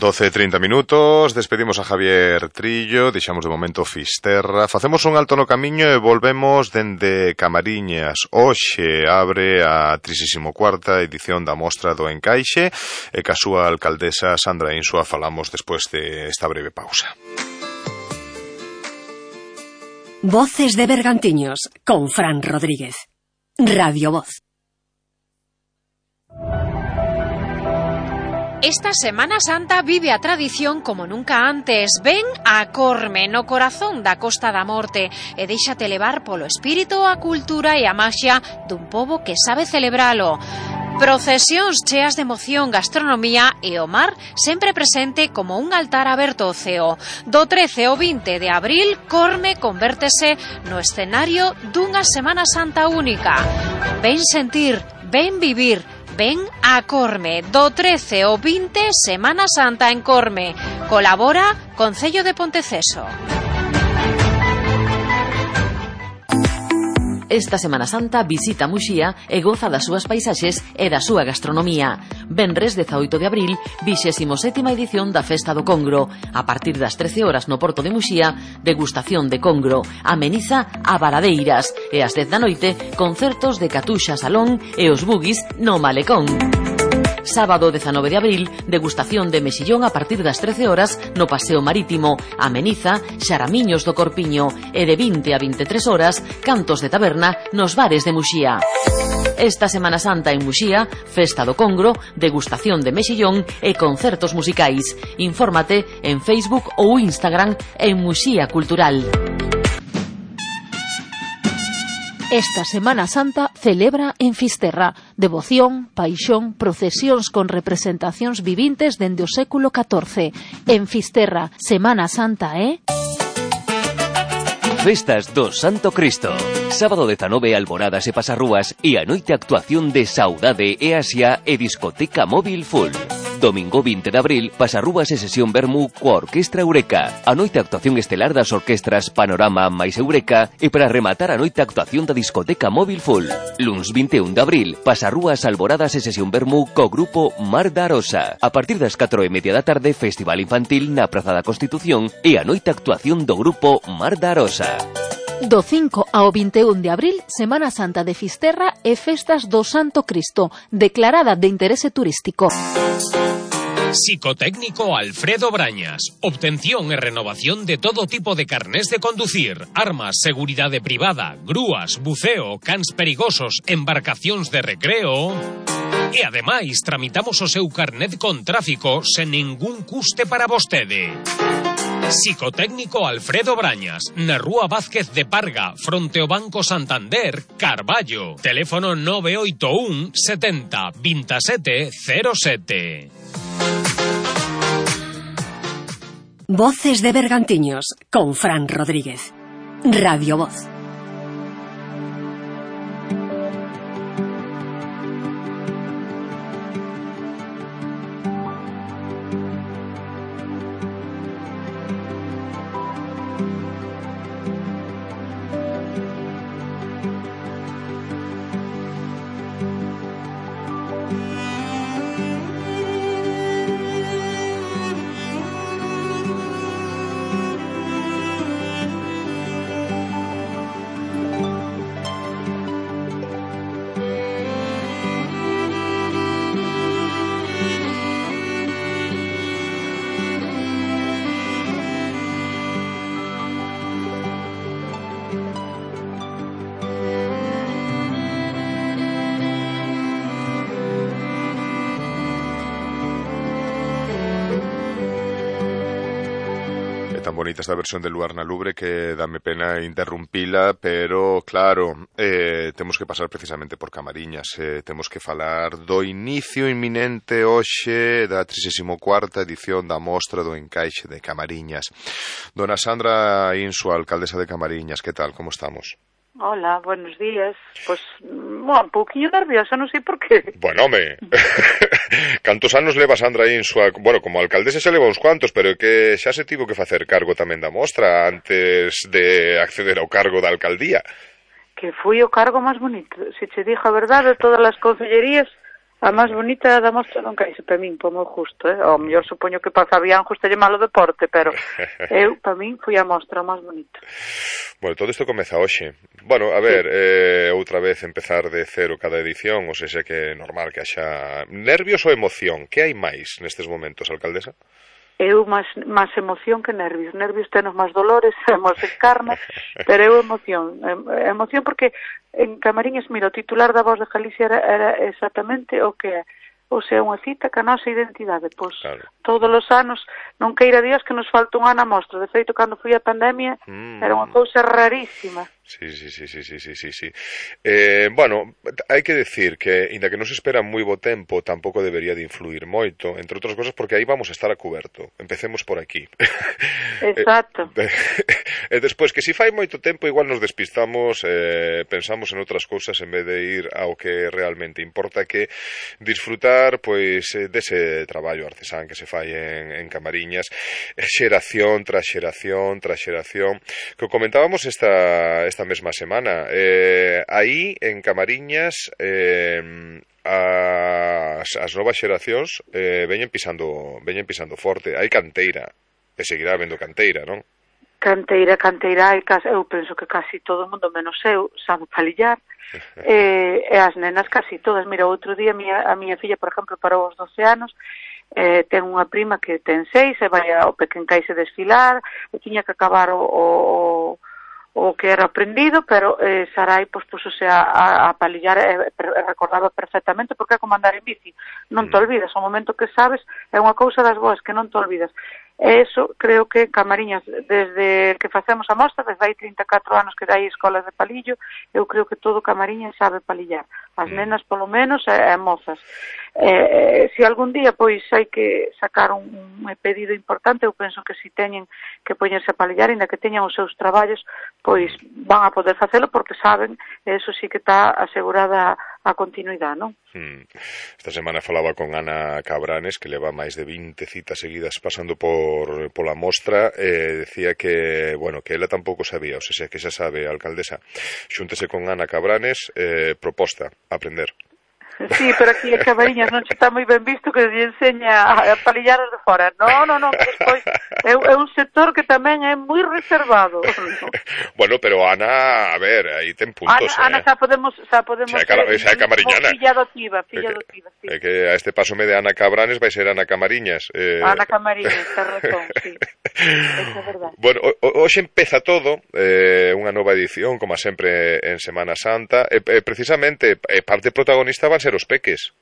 doce e trinta minutos, despedimos a Javier Trillo, deixamos de momento Fisterra, facemos un alto no camiño e volvemos dende Camariñas. Hoxe abre a trinta e cuarta edición da Mostra do Encaixe e ca súa alcaldesa Sandra Insua falamos despois de esta breve pausa. Voces de Bergantiños con Fran Rodríguez. Radio Voz. Esta Semana Santa vive a tradición como nunca antes. Ven a Corme, no corazón da Costa da Morte, e déixate levar polo espírito, a cultura e a maxia dun pobo que sabe celebralo. Procesións cheas de emoción, gastronomía e o mar sempre presente como un altar aberto ao ceo. Do trece ao vinte de abril, Corme convértese no escenario dunha Semana Santa única. Ven sentir, ven vivir, ven a Corme. Do trece ao vinte, Semana Santa en Corme. Colabora Concello de Ponteceso. Esta Semana Santa visita Muxía e goza das súas paisaxes e da súa gastronomía. Venres dezaoito de abril, vixésimo sétima edición da Festa do Congro. A partir das trece horas no Porto de Muxía, degustación de congro, ameniza a Baladeiras e ás dez da noite, concertos de Catuxa Salón e os Bugis no Malecón. Sábado dezanove de abril, degustación de mexillón a partir das trece horas no Paseo Marítimo, ameniza Xaramiños do Corpiño e de vinte a vinte e tres horas, cantos de taberna nos bares de Muxía. Esta Semana Santa en Muxía, Festa do Congro, degustación de mexillón e concertos musicais. Infórmate en Facebook ou Instagram en Muxía Cultural. Esta Semana Santa celebra en Fisterra devoción, paixón, procesións con representacións vivintes dende o século catorce. En Fisterra, Semana Santa é... Festas do Santo Cristo. Sábado dezanove, alboradas e pasarrúas e a noite actuación de Saudade e Asia e discoteca móvil full. Domingo vinte de abril, pasarrúas e sesión vermú coa Orquestra Eureka. A noite actuación estelar das orquestras Panorama máis Eureka e para rematar a noite actuación da discoteca móvil full. Luns vinte e un de abril, pasarrúas, alboradas e sesión vermú co grupo Mar da Arosa. A partir das catro e media da tarde, festival infantil na Praza da Constitución e a noite actuación do grupo Mar da Arosa. Do cinco ao vinte e un de abril, Semana Santa de Fisterra e Festas do Santo Cristo, declarada de interese turístico. Psicotécnico Alfredo Brañas. Obtención e renovación de todo tipo de carnés de conducir, armas, seguridade privada, grúas, buceo, cans perigosos, embarcacións de recreo... E ademais, tramitamos o seu carnet con tráfico sen ningún custe para vostede. Psicotécnico Alfredo Brañas, na Rúa Vázquez de Parga, fronte ao Banco Santander, Carballo. Teléfono nove oito un setenta veintisiete cero sete. Voces de Bergantiños con Fran Rodríguez. Radio Voz. tan bonita esta versión de Luar na Lubre que dame pena interrumpila, pero claro, eh, temos que pasar precisamente por Camariñas, eh, temos que falar do inicio inminente hoxe da trigésima cuarta edición da Mostra do Encaixe de Camariñas. Dona Sandra Insua, alcaldesa de Camariñas, que tal, como estamos? Hola, buenos días. Pois, bueno, un pouquinho nerviosa, non sei por qué. Bueno, home, cantos anos leva Sandra Insua? Bueno, como alcaldesa se leva uns cuantos, pero que xa se tivo que facer cargo tamén da mostra antes de acceder ao cargo da alcaldía. Que foi o cargo máis bonito. Se che dixo a verdade, todas as concellerías, a máis bonita da mostra non caíse para min, por moi justo, eh? Ao mellor supoño que para Fabián gustalle malo deporte, pero eu, para min, foi a mostra máis bonita. Bueno, todo isto comeza hoxe. Bueno, a ver, sí. eh, outra vez empezar de cero cada edición, ou seja que é normal que haxa nervios ou emoción. Que hai máis nestes momentos, alcaldesa? Eu máis, máis emoción que nervios. Nervios tenos máis dolores, temos encarna, pero eu emoción. Emoción porque en Camariñas, mira, o titular da Voz de Galicia era, era exactamente o que é. Ou sea, unha cita ca nosa identidade. Pois, claro. Todos os anos, non queira Dios que nos falta un ano a mostra. De feito, cando foi a pandemia, mm. era unha cousa rarísima. Sí, sí, sí, sí, sí, sí, sí, sí. Eh, bueno, hai que decir que, inda que non se espera moi bo tempo, tampouco debería de influir moito, entre outras cosas porque aí vamos a estar a coberto. Empecemos por aquí. Exacto. E despois, que se fai moito tempo, igual nos despistamos, eh, pensamos en outras cousas en vez de ir ao que realmente importa, que disfrutar, pois, dese traballo artesán que se fai en, en Camariñas, xeración tras xeración tras xeración, que comentábamos esta... esta mesma semana. Eh, aí, en Camariñas, eh, as, as novas xeracións eh, veñen pisando veñen pisando forte. Hai canteira, e seguirá habendo canteira, non? Canteira, canteira, eu penso que casi todo o mundo, menos eu, sabe palillar. e, e as nenas casi todas. Mira, outro día a miña, a miña filla, por exemplo, para os doce anos, eh, ten unha prima que ten seis, e vai ao Pequencaise desfilar, e tiña que acabar o... o o que era aprendido, pero eh, Sarai pois, pusose a, a, a palillar e eh, recordaba perfectamente porque é como andar en bici, non te olvidas, o momento que sabes é unha cousa das boas que non te olvidas. E eso creo que en Camariñas, desde que facemos a mostra, desde hai trinta e catro anos que hai escolas de palillo, eu creo que todo Camariñas sabe palillar, as nenas polo menos e, e mozas. Eh, se algún día pois hai que sacar un, un pedido importante, eu penso que si teñen que poñerse a palillar, ainda que teñan os seus traballos, pois van a poder facelo porque saben, e eso sí que está asegurada a continuidade, non? Hmm. Esta semana falaba con Ana Cabranes, que leva máis de vinte citas seguidas pasando por pola mostra, e decía que, bueno, que ela tampouco sabía, ou sea, que xa sabe, alcaldesa, xúntese con Ana Cabranes, eh, proposta, aprender. Sí, pero aquí en Camariñas non está moi ben visto que lle enseña a palillar de fora. Non, non, non, despois é, é un sector que tamén é moi reservado. Bueno, pero Ana, a ver, aí ten puntos. Ana, eh. Ana xa podemos, xa podemos xa, cara, xa é camariñana. Filla adotiva, filla adotiva, sí. É que a este paso me de Ana Cabranes vai ser Ana Camariñas. Eh... Ana Camariñas, ten razón, sí. Esa é verdade. Bueno, hoxe empeza todo, eh, unha nova edición, como sempre en Semana Santa, e eh, precisamente, eh, parte protagonista van ser os peques.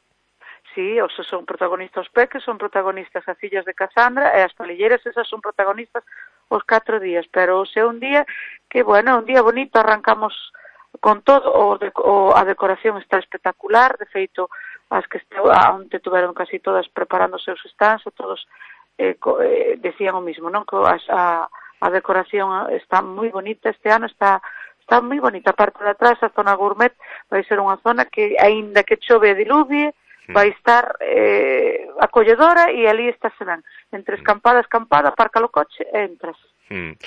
Sí, os son protagonistas os peques, son protagonistas as fillas de Casandra, e as palilleras esas son protagonistas os catro días, pero hoxe é un día que, bueno, un día bonito, arrancamos con todo, o, de, o a decoración está espectacular, de feito, as que onde tuveron casi todas preparando os seus stands, todos eh, co, eh, decían o mismo, non? Que as, a, a decoración está moi bonita, este ano está está moi bonita, a parte de atrás, a zona gourmet, vai ser unha zona que, aínda que chove e diluvie, vai estar eh, acolledora, e ali está se ven. Entre escampada a escampada, aparca o coche e entras. Mm.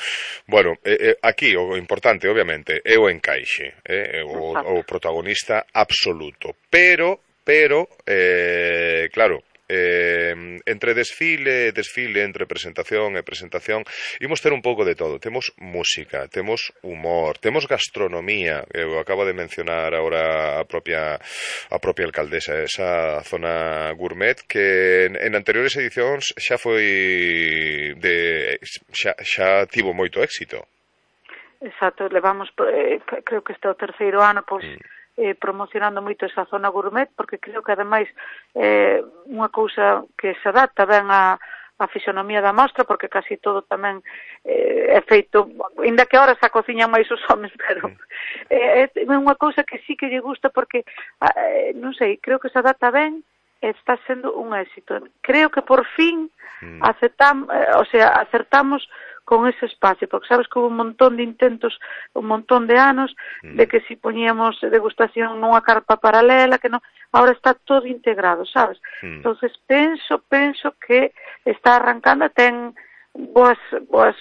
Bueno, eh, eh, aquí o importante, obviamente, é o encaixe, eh, o, o protagonista absoluto. Pero, pero, eh, claro, eh, entre desfile, desfile, entre presentación e presentación, imos ter un pouco de todo. Temos música, temos humor, temos gastronomía. Eu acabo de mencionar agora a propia a propia alcaldesa, esa zona gourmet que en, en anteriores edicións xa foi de xa, xa tivo moito éxito. Exacto, levamos eh, creo que este é o terceiro ano, pois mm. Eh, promocionando moito esa zona gourmet, porque creo que ademais é eh, unha cousa que se adapta ben a, a fisonomía da mostra, porque casi todo tamén eh, é feito, ainda que ahora se cociñan máis os homes, pero eh, é unha cousa que sí que lle gusta, porque, eh, non sei, creo que se adapta ben, está sendo un éxito. Creo que por fin mm. aceptam, eh, o sea, acertamos con ese espacio, porque sabes que hubo un montón de intentos, un montón de anos, mm. de que si poñíamos degustación nunha carpa paralela, que non, ahora está todo integrado, sabes? Mm. Entonces penso, penso que está arrancando, ten boas, boas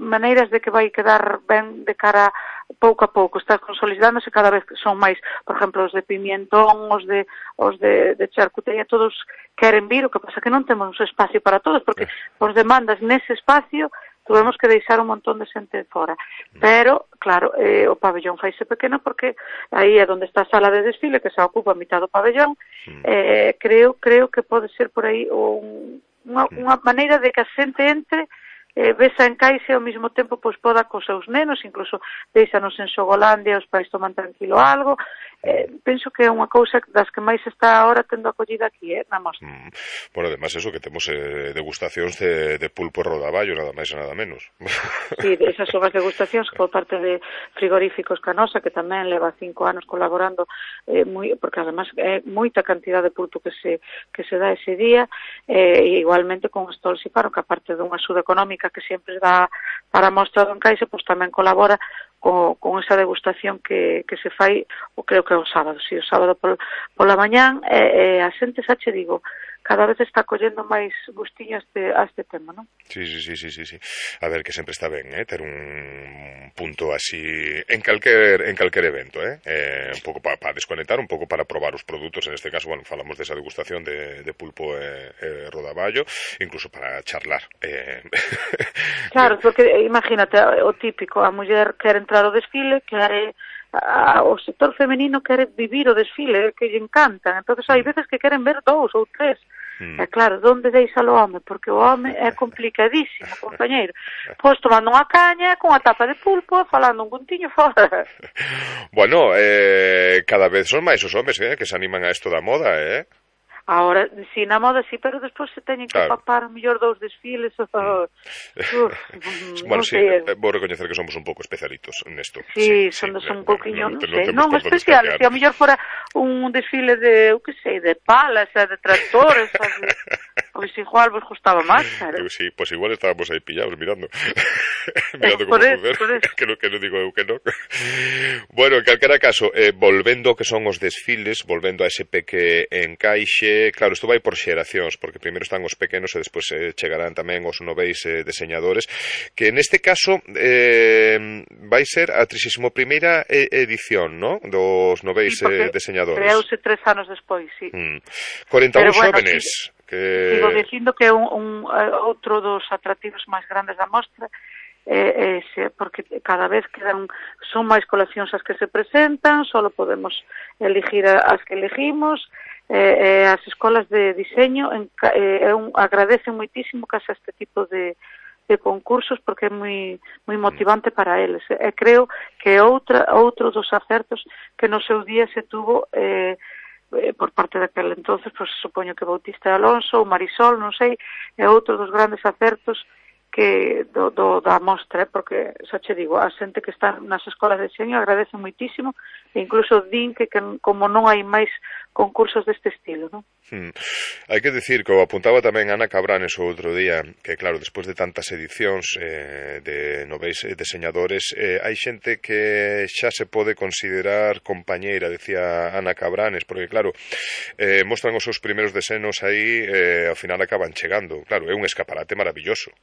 maneiras de que vai quedar ben de cara pouco a pouco, está consolidándose cada vez que son máis, por exemplo, os de pimentón, os de os de, de charcutería, todos queren vir, o que pasa que non temos espacio para todos, porque os demandas nese espacio tuvemos que deixar un montón de xente fora. Pero, claro, eh, o pabellón faise pequeno porque aí é onde está a sala de desfile, que se ocupa a mitad do pabellón. Eh, creo creo que pode ser por aí un, unha, unha maneira de que a xente entre, eh, vesa en caixe ao mesmo tempo pois poda cos seus nenos, incluso deixanos en Xogolandia, os pais toman tranquilo algo. Eh, penso que é unha cousa das que máis está ahora tendo acollida aquí, eh, na mostra. Mm. Bueno, además eso, que temos eh, degustacións de, de pulpo e rodaballo, nada máis e nada menos. Sí, esas son as degustacións por parte de Frigoríficos Canosa, que tamén leva cinco anos colaborando, eh, moi, porque además é moita cantidad de pulpo que se que se dá ese día, eh, e igualmente con Stolz e Faro, que aparte dunha axuda económica que sempre dá para a mostra do Encaixe, pois tamén colabora con, con esa degustación que, que se fai, o creo que é o sábado, si, o sábado pol, pola mañán, e, e a xente, xa che digo, cada vez está collendo máis gustiño a este, a este tema, non? Sí, sí, sí, sí, sí, sí. A ver, que sempre está ben, eh, ter un punto así en calquer, en calquer evento, eh, eh un pouco para pa desconectar, un pouco para probar os produtos, en este caso, bueno, falamos desa degustación de, de pulpo e, e rodaballo, incluso para charlar. Eh. Claro, porque imagínate, o típico, a muller quere entrar ao desfile, quere a, o sector femenino quere vivir o desfile, que lle encantan, entonces hai veces que queren ver dous ou tres. Mm. É claro, donde deixa o home? Porque o home é complicadísimo, compañeiro. Pois tomando unha caña, con a tapa de pulpo, falando un puntiño fora. Bueno, eh, cada vez son máis os homes eh, que se animan a isto da moda, eh? Ahora, si na moda sí, pero despois se teñen que claro. papar mellor dous desfiles. Oh, uf, bueno, non sí, sei. vou recoñecer que somos un pouco especialitos nesto. Sí, sí, son, sí, son un pouquiño, non, non sei, non especiales, se a mellor fora un desfile de, eu que sei, de palas, de tractores, de... pois igual vos gustaba máis, claro. Sí, pois pues igual estábamos aí pillados mirando. mirando como volver, que non que no digo eu que non. Bueno, en calquera caso, eh, volvendo que son os desfiles, volvendo a ese peque encaixe, claro, isto vai por xeracións, porque primeiro están os pequenos e despois eh, chegarán tamén os noveis eh, deseñadores, que neste caso eh, vai ser a trixésima primeira edición, ¿no?, dos noveis sí, eh, deseñadores. Creouse tres anos despois, sí. Mm. cuarenta e un bueno, xóvenes. Sí. Que... Sigo dicindo que é un, un, outro dos atractivos máis grandes da mostra, eh, eh, porque cada vez quedan, son máis coleccións as que se presentan, só podemos elegir as que elegimos, eh, eh, as escolas de diseño en, eh, un, agradecen moitísimo que haxa este tipo de, de concursos, porque é moi moi motivante para eles. E creo que outra, outro dos acertos que no seu día se tuvo eh, por parte daquel entonces, pois supoño que Bautista Alonso ou Marisol, non sei, é outro dos grandes acertos que do, do, da mostra, porque xa che digo, a xente que está nas escolas de diseño agradece moitísimo, e incluso din que, que como non hai máis concursos deste estilo, non? Hmm. Hai que dicir que o apuntaba tamén Ana Cabranes o outro día, que claro, despois de tantas edicións eh, de noveis deseñadores, eh, hai xente que xa se pode considerar compañeira, decía Ana Cabranes, porque claro, eh, mostran os seus primeiros desenos aí, eh, ao final acaban chegando. Claro, é un escaparate maravilloso.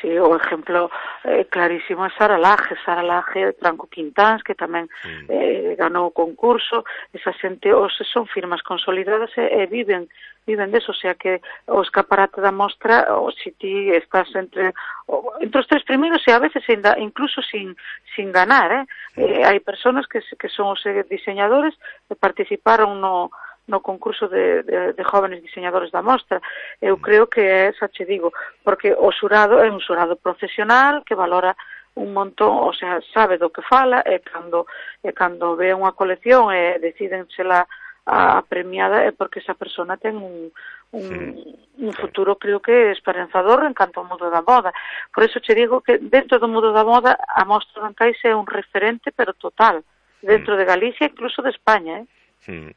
Sí, o exemplo eh, clarísimo é Sara Laje, Sara Laje, Franco Quintáns, que tamén mm. eh, ganou o concurso. Esa xente, os, son firmas consolidadas e, e viven viven deso, o sea que o escaparate da mostra, o si ti estás entre o, entre os tres primeiros, e a veces ainda, incluso sin sin ganar, eh? Mm. eh hai persoas que, que son os diseñadores que participaron no no concurso de, de, de jóvenes diseñadores da mostra. Eu creo que é, xa che digo, porque o xurado é un xurado profesional que valora un montón, o sea, sabe do que fala, e cando, e cando ve unha colección e decídensela a premiada é porque esa persona ten un, un, sí, un futuro, creo que esperanzador en canto ao mundo da moda. Por eso che digo que dentro do mundo da moda a Mostra do Encaixe é un referente, pero total, dentro de Galicia, incluso de España, eh? Hmm.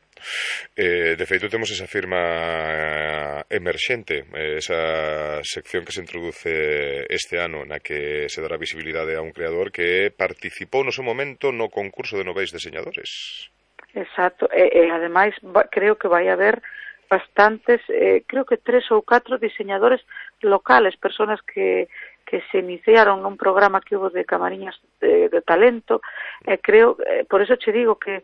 Eh, de feito temos esa firma emerxente, esa sección que se introduce este ano na que se dará visibilidade a un creador que participou no seu momento no concurso de noveis deseñadores. Exacto, e, e ademais creo que vai haber bastantes, eh, creo que tres ou catro diseñadores locales, personas que que se iniciaron nun programa que hubo de Camariñas de, de talento, e eh, creo, eh, por eso che digo que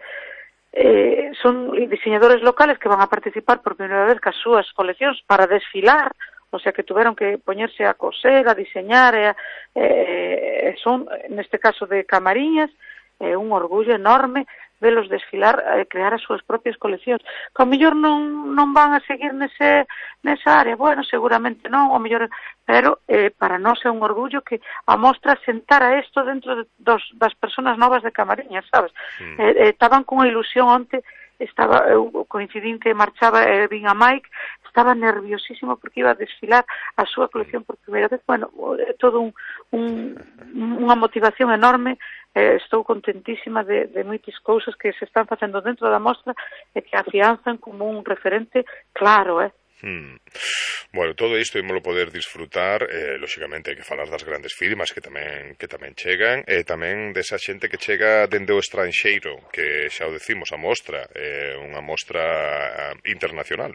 Eh, son diseñadores locales que van a participar por primeira vez cas súas coleccións para desfilar, o sea que tuveron que poñerse a coser, a diseñar, e, eh, son, neste caso de Camariñas, é eh, un orgullo enorme velos desfilar, eh, crear as súas propias coleccións. Que ao mellor non, non van a seguir nese, nesa área, bueno, seguramente non, ao mellor, pero eh, para nós é un orgullo que a Mostra sentara isto dentro de, dos, das persoas novas de Camariñas, sabes? Mm. Eh, eh, estaban con unha ilusión onte, estaba, eu coincidín que marchaba e eh, vin a Mike, estaba nerviosísimo porque iba a desfilar a súa colección por primeira vez. Bueno, é todo un, un, unha motivación enorme. Eh, estou contentísima de, de moitas cousas que se están facendo dentro da Mostra e que afianzan como un referente claro, eh? Hmm. Bueno, todo isto ímolo poder disfrutar, eh, lóxicamente hai que falar das grandes firmas que tamén que tamén chegan, e tamén desa xente que chega dende o estranxeiro, que xa o decimos, a Mostra, é eh, unha mostra internacional.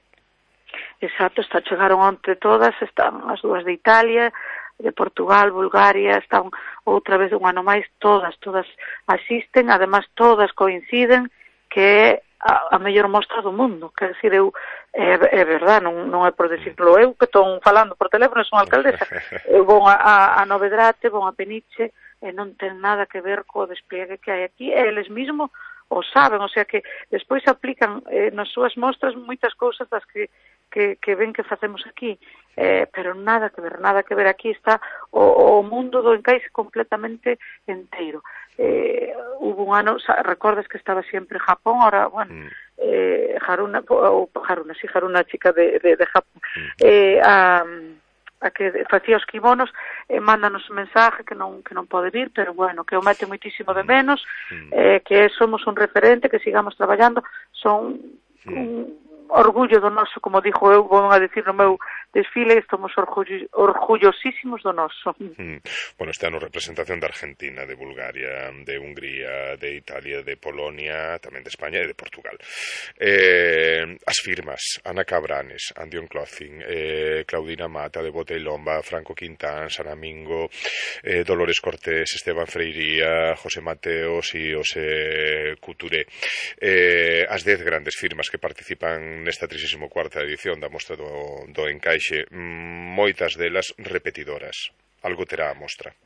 Exacto, está, chegaron onte todas, están as dúas de Italia, de Portugal, Bulgaria, están outra vez un ano máis, todas, todas asisten, además todas coinciden que é a, a mellor mostra do mundo, quer dizer, eu, é, é verdad, non, non é por decirlo eu, que estou falando por teléfono, son alcaldesa, eu vou a, a, a Novedrate, vou a Peniche, e non ten nada que ver co despliegue que hai aquí, e eles mesmo o saben, o sea que despois aplican eh, nas súas mostras moitas cousas das que Que, que ven que facemos aquí, eh, pero nada que ver, nada que ver, aquí está o, o mundo do encaixe completamente enteiro. Eh, hubo un ano, recordas que estaba sempre en Japón, ahora, bueno, eh, Haruna, ou Haruna, sí, Haruna, chica de, de, de Japón, eh, a, a que facía os kimonos, eh, mándanos un mensaje que non, que non pode vir, pero bueno, que o mete moitísimo de menos, eh, que somos un referente, que sigamos traballando, son un orgullo do noso, como dixo eu, vou a decir no meu desfile, estamos orgullo, orgullosísimos do noso. Mm. Bueno, este ano representación de Argentina, de Bulgaria, de Hungría, de Italia, de Polonia, tamén de España e de Portugal. Eh, as firmas, Ana Cabranes, Andion Clothing, eh, Claudina Mata, de Bota y Lomba, Franco Quintán, Sanamingo, eh, Dolores Cortés, Esteban Freiría, José Mateos e José Couture. Eh, as dez grandes firmas que participan nesta trixésima cuarta edición da Mostra do, do Encaixe, moitas delas repetidoras. Algo terá a mostra.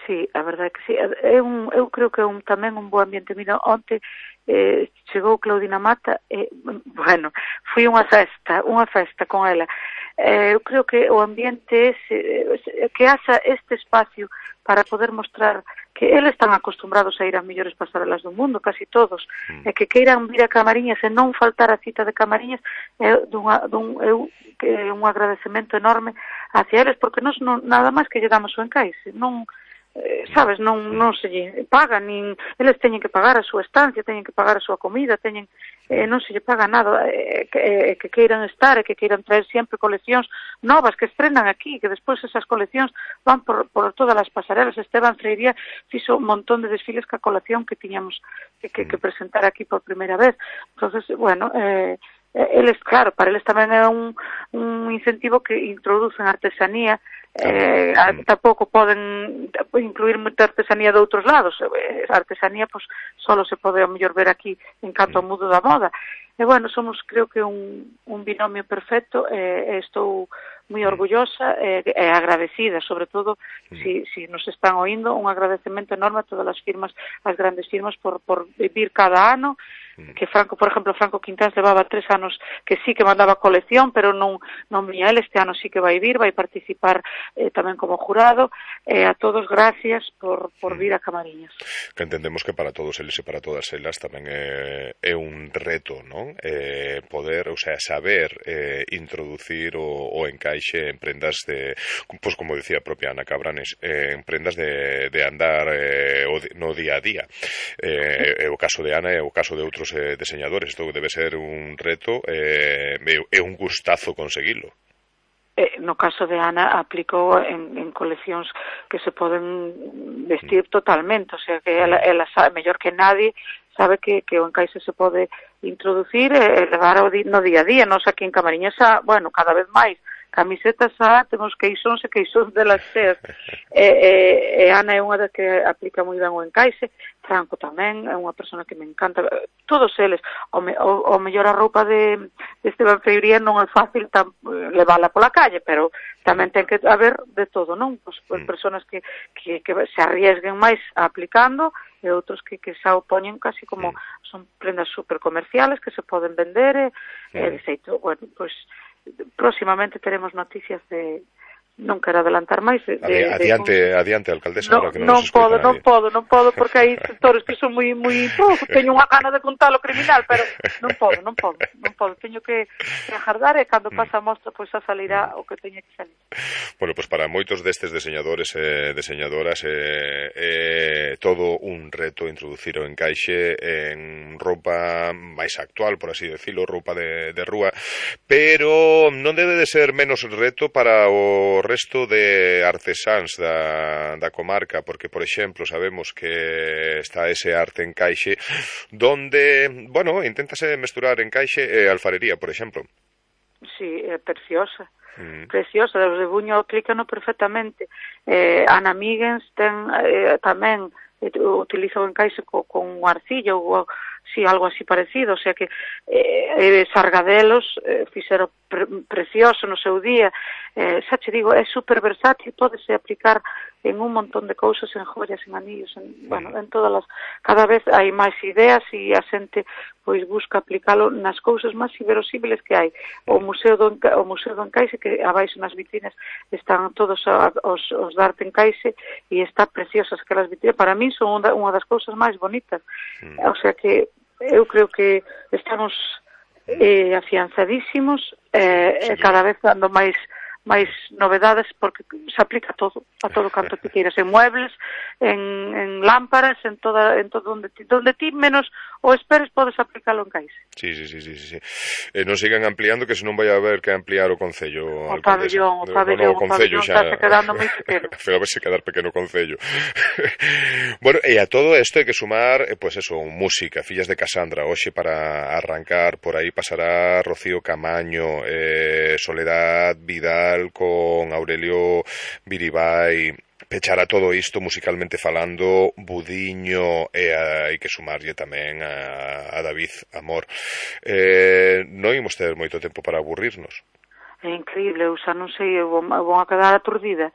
Sí, a verdade que sí. É un, eu creo que é un, tamén un bo ambiente. Mira, onte eh, chegou Claudina Mata, e, bueno, fui unha festa, unha festa con ela. Eh, eu creo que o ambiente é que haxa este espacio para poder mostrar que eles están acostumbrados a ir ás mellores pasarelas do mundo, casi todos, mm. e que queiran vir a Camariñas e non faltar a cita de Camariñas é dunha, dun, eu, que é un agradecemento enorme hacia eles, porque nos non, nada máis que lle damos o encaixe, non, eh, sabes, non, non se lle paga, nin, eles teñen que pagar a súa estancia, teñen que pagar a súa comida, teñen, eh, non se lle paga nada, eh, que, eh, que queiran estar e que queiran traer sempre coleccións novas que estrenan aquí, que despois esas coleccións van por, por todas as pasarelas. Esteban Freiría fixo un montón de desfiles ca colección que tiñamos que, que, que presentar aquí por primeira vez. Entonces, bueno, eh, eles, claro, para eles tamén é un, un incentivo que introducen artesanía. Eh, tampouco poden incluir moita artesanía de outros lados. A artesanía, pois, solo se pode ao mellor ver aquí en canto ao mundo da moda. E, bueno, somos, creo que, un, un binomio perfecto, e, e estou moi orgullosa e, e agradecida, sobre todo, si, si nos están oindo, un agradecemento enorme a todas as firmas, as grandes firmas, por, por vivir cada ano que Franco, por exemplo, Franco Quintáns levaba tres anos que sí que mandaba colección, pero non, non viña el, este ano sí que vai vir, vai participar eh, tamén como jurado, e eh, a todos gracias por, por vir a Camariñas. Que entendemos que para todos eles e para todas elas tamén é, é un reto, non? Eh, poder, o sea, saber eh, introducir o, o encaixe en prendas de, pues como decía a propia Ana Cabranes, eh, en prendas de, de andar eh, o de, no día a día. Eh, é o caso de Ana e o caso de outros eh, diseñadores. Isto debe ser un reto e eh, un gustazo conseguilo. Eh, no caso de Ana aplicou en, en coleccións que se poden vestir mm. totalmente, o sea que ela, ela sabe mellor que nadie, sabe que, que o encaixe se pode introducir e levar ao di, no día a día. Nos aquí en Camariñas, bueno, cada vez máis camisetas xa, temos queixóns e queixóns delas cheas. E, e, e Ana é unha das que aplica moi ben o encaixe, Franco tamén, é unha persona que me encanta, todos eles, o, me, o, o mellor a roupa de, de Esteban Freiría non é fácil tam, levála pola calle, pero tamén ten que haber de todo, non? Pues, pues, personas que, que, que se arriesguen máis aplicando e outros que, que xa o poñen casi como son prendas super comerciales que se poden vender e, e de xeito, bueno, pois pues, próximamente teremos noticias de, non quero adelantar máis de, de, adiante, de, adiante, alcaldesa, no, ahora que non, non nos podo, escoita non podo, non podo porque hai sectores que son moi moi, oh, teño unha gana de contar o criminal, pero non podo, non podo, non podo, teño que, que agardar e cando pasa a mostra pois xa salirá o que teña que salir. Bueno, pois pues para moitos destes diseñadores e diseñadoras é eh, eh, todo un reto introducir o encaixe en roupa máis actual, por así decirlo, roupa de, de rúa, pero non debe de ser menos reto para o resto de artesáns da, da comarca, porque, por exemplo, sabemos que está ese arte encaixe donde, bueno, inténtase mesturar encaixe e alfarería, por exemplo. Sí, é preciosa. Mm. Preciosa, de Buño explícano perfectamente. Eh, Ana Míguens ten eh, tamén eh, utiliza o encaixe co, con arcilla ou si sí, algo así parecido, o sea que eh, Sargadelos eh, fixeron pre precioso no seu día, eh, xa che digo, é super versátil, pódese aplicar en un montón de cousas, en joyas, en anillos, en, bueno, en todas as, cada vez hai máis ideas e a xente pois busca aplicalo nas cousas máis inverosímiles que hai. O Museo do, o Museo do Encaixe, que abaixo nas vitrinas están todos a, os, os de arte encaixe e está preciosas aquelas vitrinas, para mí son unha, unha das cousas máis bonitas, o sea que eu creo que estamos eh, afianzadísimos e eh, cada vez dando máis máis novedades porque se aplica a todo, a todo canto que queiras, en muebles, en, en lámparas, en toda, en todo onde ti, donde ti menos o esperes podes aplicalo en caixe. Sí, sí, sí, sí, sí. Eh, non sigan ampliando que senón vai a haber que ampliar o concello. O pabellón, o pabellón, no, o concello xa está quedando moi pequeno. Pero a ver se quedar pequeno concello. Bueno, e a todo isto hai que sumar, eh, pues eso, música, Fillas de Casandra, hoxe para arrancar, por aí pasará Rocío Camaño, eh, Soledad Vidal con Aurelio Viribay, pechará todo isto musicalmente falando Budiño e hai que sumarlle tamén a, a David Amor. Eh, non imos ter moito tempo para aburrirnos. É increíble, eu xa non sei, eu vou, vou a quedar aturdida.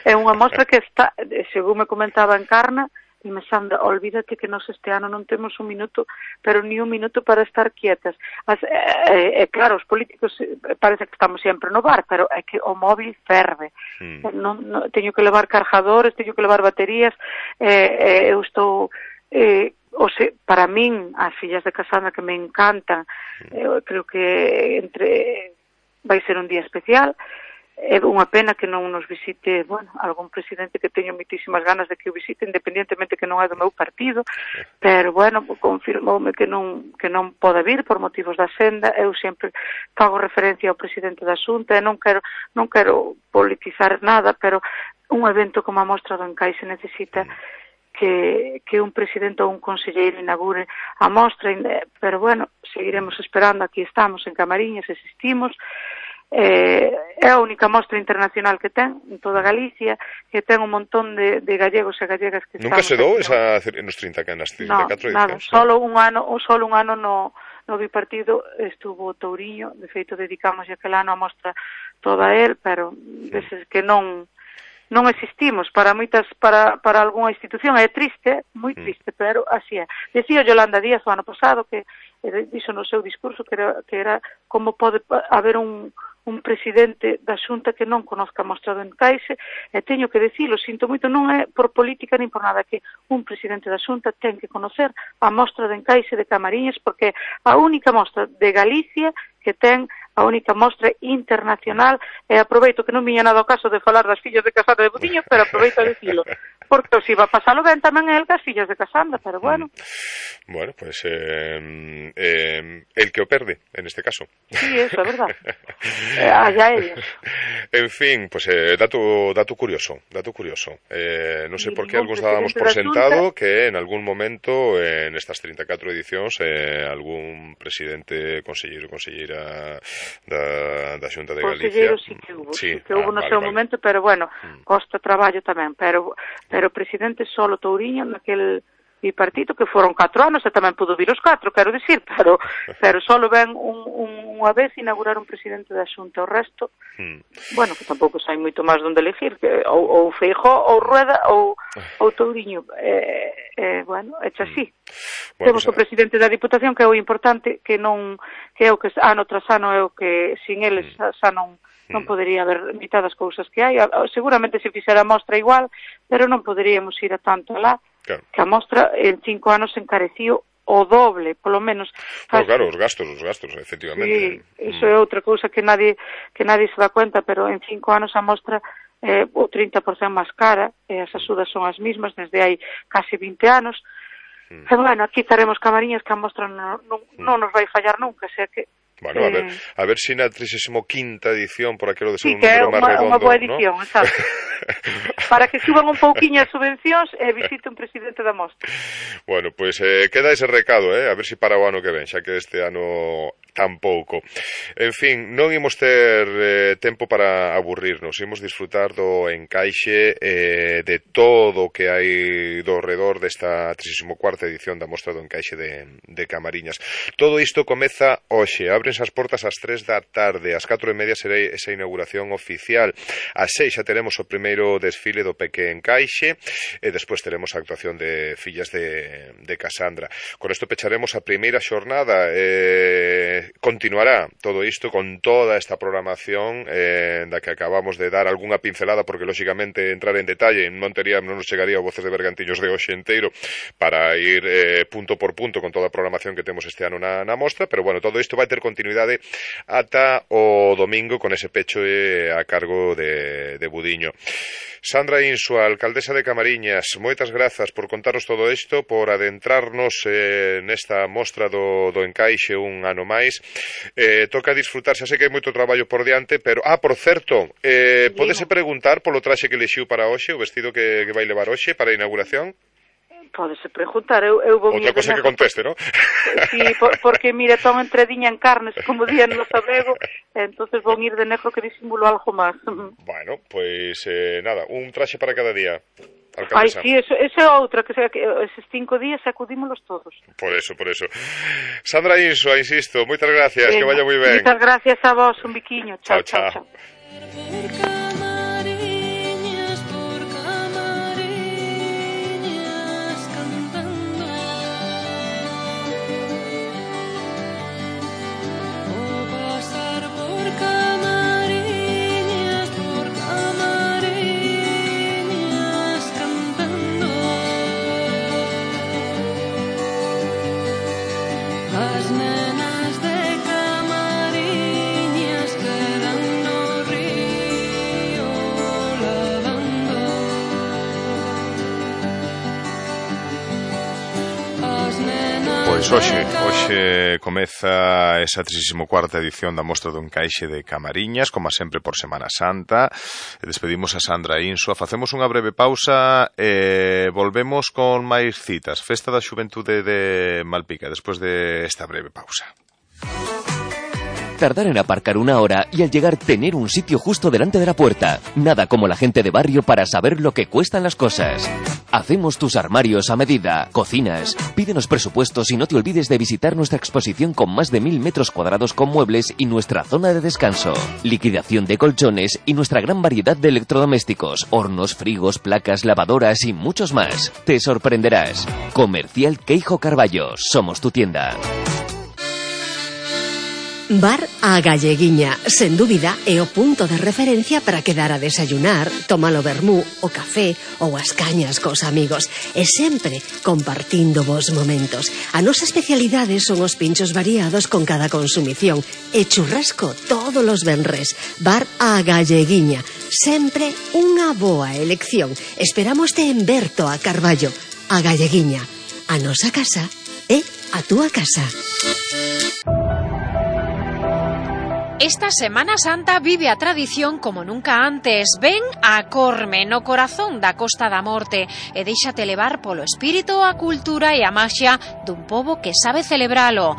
É unha mostra que está, según me comentaba Encarna, e me xanda, olvídate que nos este ano non temos un minuto, pero ni un minuto para estar quietas. As, eh, eh, claro, os políticos parece que estamos sempre no bar, pero é que o móvil ferve. Mm. Non, non, teño que levar cargadores, teño que levar baterías, eh, eh, eu estou... Eh, o se, para min, as Fillas de Casandra que me encantan, eh, creo que entre vai ser un día especial. É unha pena que non nos visite, bueno, algún presidente que teño moitísimas ganas de que o visite, independientemente que non é do meu partido, pero, bueno, confirmoume que non, que non pode vir por motivos da senda. Eu sempre fago referencia ao presidente da Xunta e non quero, non quero politizar nada, pero un evento como a Mostra do Encaixe necesita que, que un presidente ou un conselleiro inaugure a mostra, pero, bueno, seguiremos esperando, aquí estamos en Camariñas, existimos. Eh, é a única mostra internacional que ten en toda Galicia, que ten un montón de, de gallegos e gallegas que nunca se dou esa nos trinta que nas trinta e catro no, nada, edicións, solo un ano, solo un ano no, no bipartido estuvo Touriño, de feito dedicamos aquel ano a mostra toda a él, pero deses que non non existimos para moitas para para algunha institución, é triste, moi triste, pero así é. Decía Yolanda Díaz o ano pasado que dixo no seu discurso que era, que era como pode haber un un presidente da Xunta que non conozca a mostra do encaixe, e teño que dicilo, sinto moito, non é por política nin por nada, que un presidente da Xunta ten que conocer a mostra de encaixe de Camariñas, porque a única mostra de Galicia que ten a única mostra internacional, e aproveito que non viña nada ao caso de falar das fillas de Casandra de Budiño, pero aproveito a dicilo, porque se iba a pasalo ben tamén el das fillas de Casandra, pero bueno. Mm. Bueno, pues eh, eh, el que o perde, en este caso. Sí, eso é verdad. eh, allá ellos. En fin, pues eh, dato, dato curioso, dato curioso. Eh, non sei por qué algúns dábamos por sentado que en algún momento en estas treinta e catro edicións eh, algún presidente, conselleiro, conselleira da, da Xunta de Galicia. Sí que hubo, sí, sí que hubo ah, no vale, seu vale. momento, pero bueno, costa traballo tamén, pero pero presidente solo Touriño naquel bipartito que foron catro anos e tamén pudo vir os catro, quero dicir, pero pero solo ven un, un, unha vez inaugurar un presidente da Xunta, o resto mm. bueno, que tampouco sai moito máis donde elegir, que ou, ou Feijóo ou Rueda ou, ou Touriño, eh, eh, bueno, echa así. Bueno, temos pues, o presidente da Diputación, que é o importante, que non que é o que ano tras ano é o que sin eles mm. xa non non podería haber mitad das cousas que hai. Seguramente se fixera a mostra igual, pero non poderíamos ir a tanto alá. Claro. Que a mostra en cinco anos encareció o doble, polo menos. Claro, claro, os gastos, os gastos, efectivamente. Sí, iso é outra cousa que nadie que nadie se dá cuenta, pero en cinco anos a mostra é eh, o trinta por cento máis cara, e as axudas son as mismas desde hai casi vinte anos. Mm. E bueno, aquí estaremos Camariñas, que a mostra non, non, non nos vai fallar nunca, xa que Bueno, a ver, a ver si na trigésima quinta edición, por aquilo de ser sí, un número máis redondo, unha boa edición, ¿no? Exacto. Para que suban un pouquiño as subvencións e visite un presidente da mostra. Bueno, pois pues, eh, queda ese recado, eh, a ver si para o ano que ven, xa que este ano tampouco. En fin, non imos ter eh, tempo para aburrirnos, imos disfrutar do encaixe eh, de todo o que hai do redor desta trigésima cuarta edición da Mostra do Encaixe de, de Camariñas. Todo isto comeza hoxe, abrense as portas ás tres da tarde, ás catro e media será esa inauguración oficial, ás seis xa teremos o primeiro desfile do Peque Encaixe e despois teremos a actuación de fillas de, de Casandra. Con isto pecharemos a primeira xornada, eh, continuará todo isto con toda esta programación eh, da que acabamos de dar algunha pincelada, porque lóxicamente entrar en detalle non tería, non nos chegaría o Voces de Bergantiños de hoxe inteiro para ir eh, punto por punto con toda a programación que temos este ano na, na mostra, pero bueno, todo isto vai ter continuidade ata o domingo con ese pecho eh, a cargo de, de Budiño. Sandra Insua, alcaldesa de Camariñas, moitas grazas por contarnos todo isto, por adentrarnos eh, nesta mostra do, do encaixe un ano máis. Eh, toca disfrutar, xa sei que hai moito traballo por diante, pero, ah, por certo, eh, podese preguntar polo traxe que lexiu para hoxe, o vestido que, que vai levar hoxe para a inauguración? Pódese preguntar, eu, eu vou... Outra cosa que conteste, ¿no? Sí, por, porque, mire, ton entrediña en carnes, como dían no sabrego, entonces vou ir de negro que disimulo algo máis. Bueno, pois, pues, eh, nada, un traxe para cada día. Alcaldesa. Ai, sí, eso, eso é outra, que, que eses cinco días acudímolos todos. Por eso, por eso. Sandra Insua, insisto, moitas gracias, Venga, que vaya moi ben. Moitas gracias a vos, un biquiño. Chao, chao, chao. chao. Pois hoxe, hoxe comeza esa trigésima cuarta edición da Mostra do Encaixe de Camariñas, como sempre por Semana Santa. Despedimos a Sandra Insua, facemos unha breve pausa e volvemos con máis citas. Festa da Xuventude de Malpica, despois de esta breve pausa. Tardar en aparcar una hora y al llegar tener un sitio justo delante de la puerta. Nada como la gente de barrio para saber lo que cuestan las cosas. Hacemos tus armarios a medida. Cocinas. Pídenos presupuestos y no te olvides de visitar nuestra exposición con más de mil metros cuadrados con muebles y nuestra zona de descanso. Liquidación de colchones y nuestra gran variedad de electrodomésticos, hornos, frigos, placas, lavadoras y muchos más. Te sorprenderás. Comercial Queijo Carballo. Somos tu tienda. Bar A Galleguiña, sen dúbida, é o punto de referencia para quedar a desayunar, tomar o vermú, o café ou as cañas cos amigos, e sempre compartindo vos momentos. A nosa especialidade son os pinchos variados con cada consumición e churrasco todos os venres. Bar A Galleguiña, sempre unha boa elección. Esperámoste en Berto a Carballo. A Galleguiña, a nosa casa é a túa casa. Esta Semana Santa vive a tradición como nunca antes. Ven a Corme, no corazón da Costa da Morte, e déixate levar polo espírito, a cultura e a maxia dun pobo que sabe celebralo.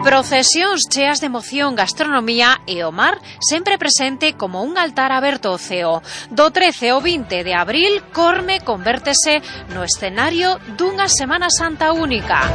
Procesións cheas de emoción, gastronomía e o mar sempre presente como un altar aberto ao ceo. Do trece ao vinte de abril, Corme convértese no escenario dunha Semana Santa única.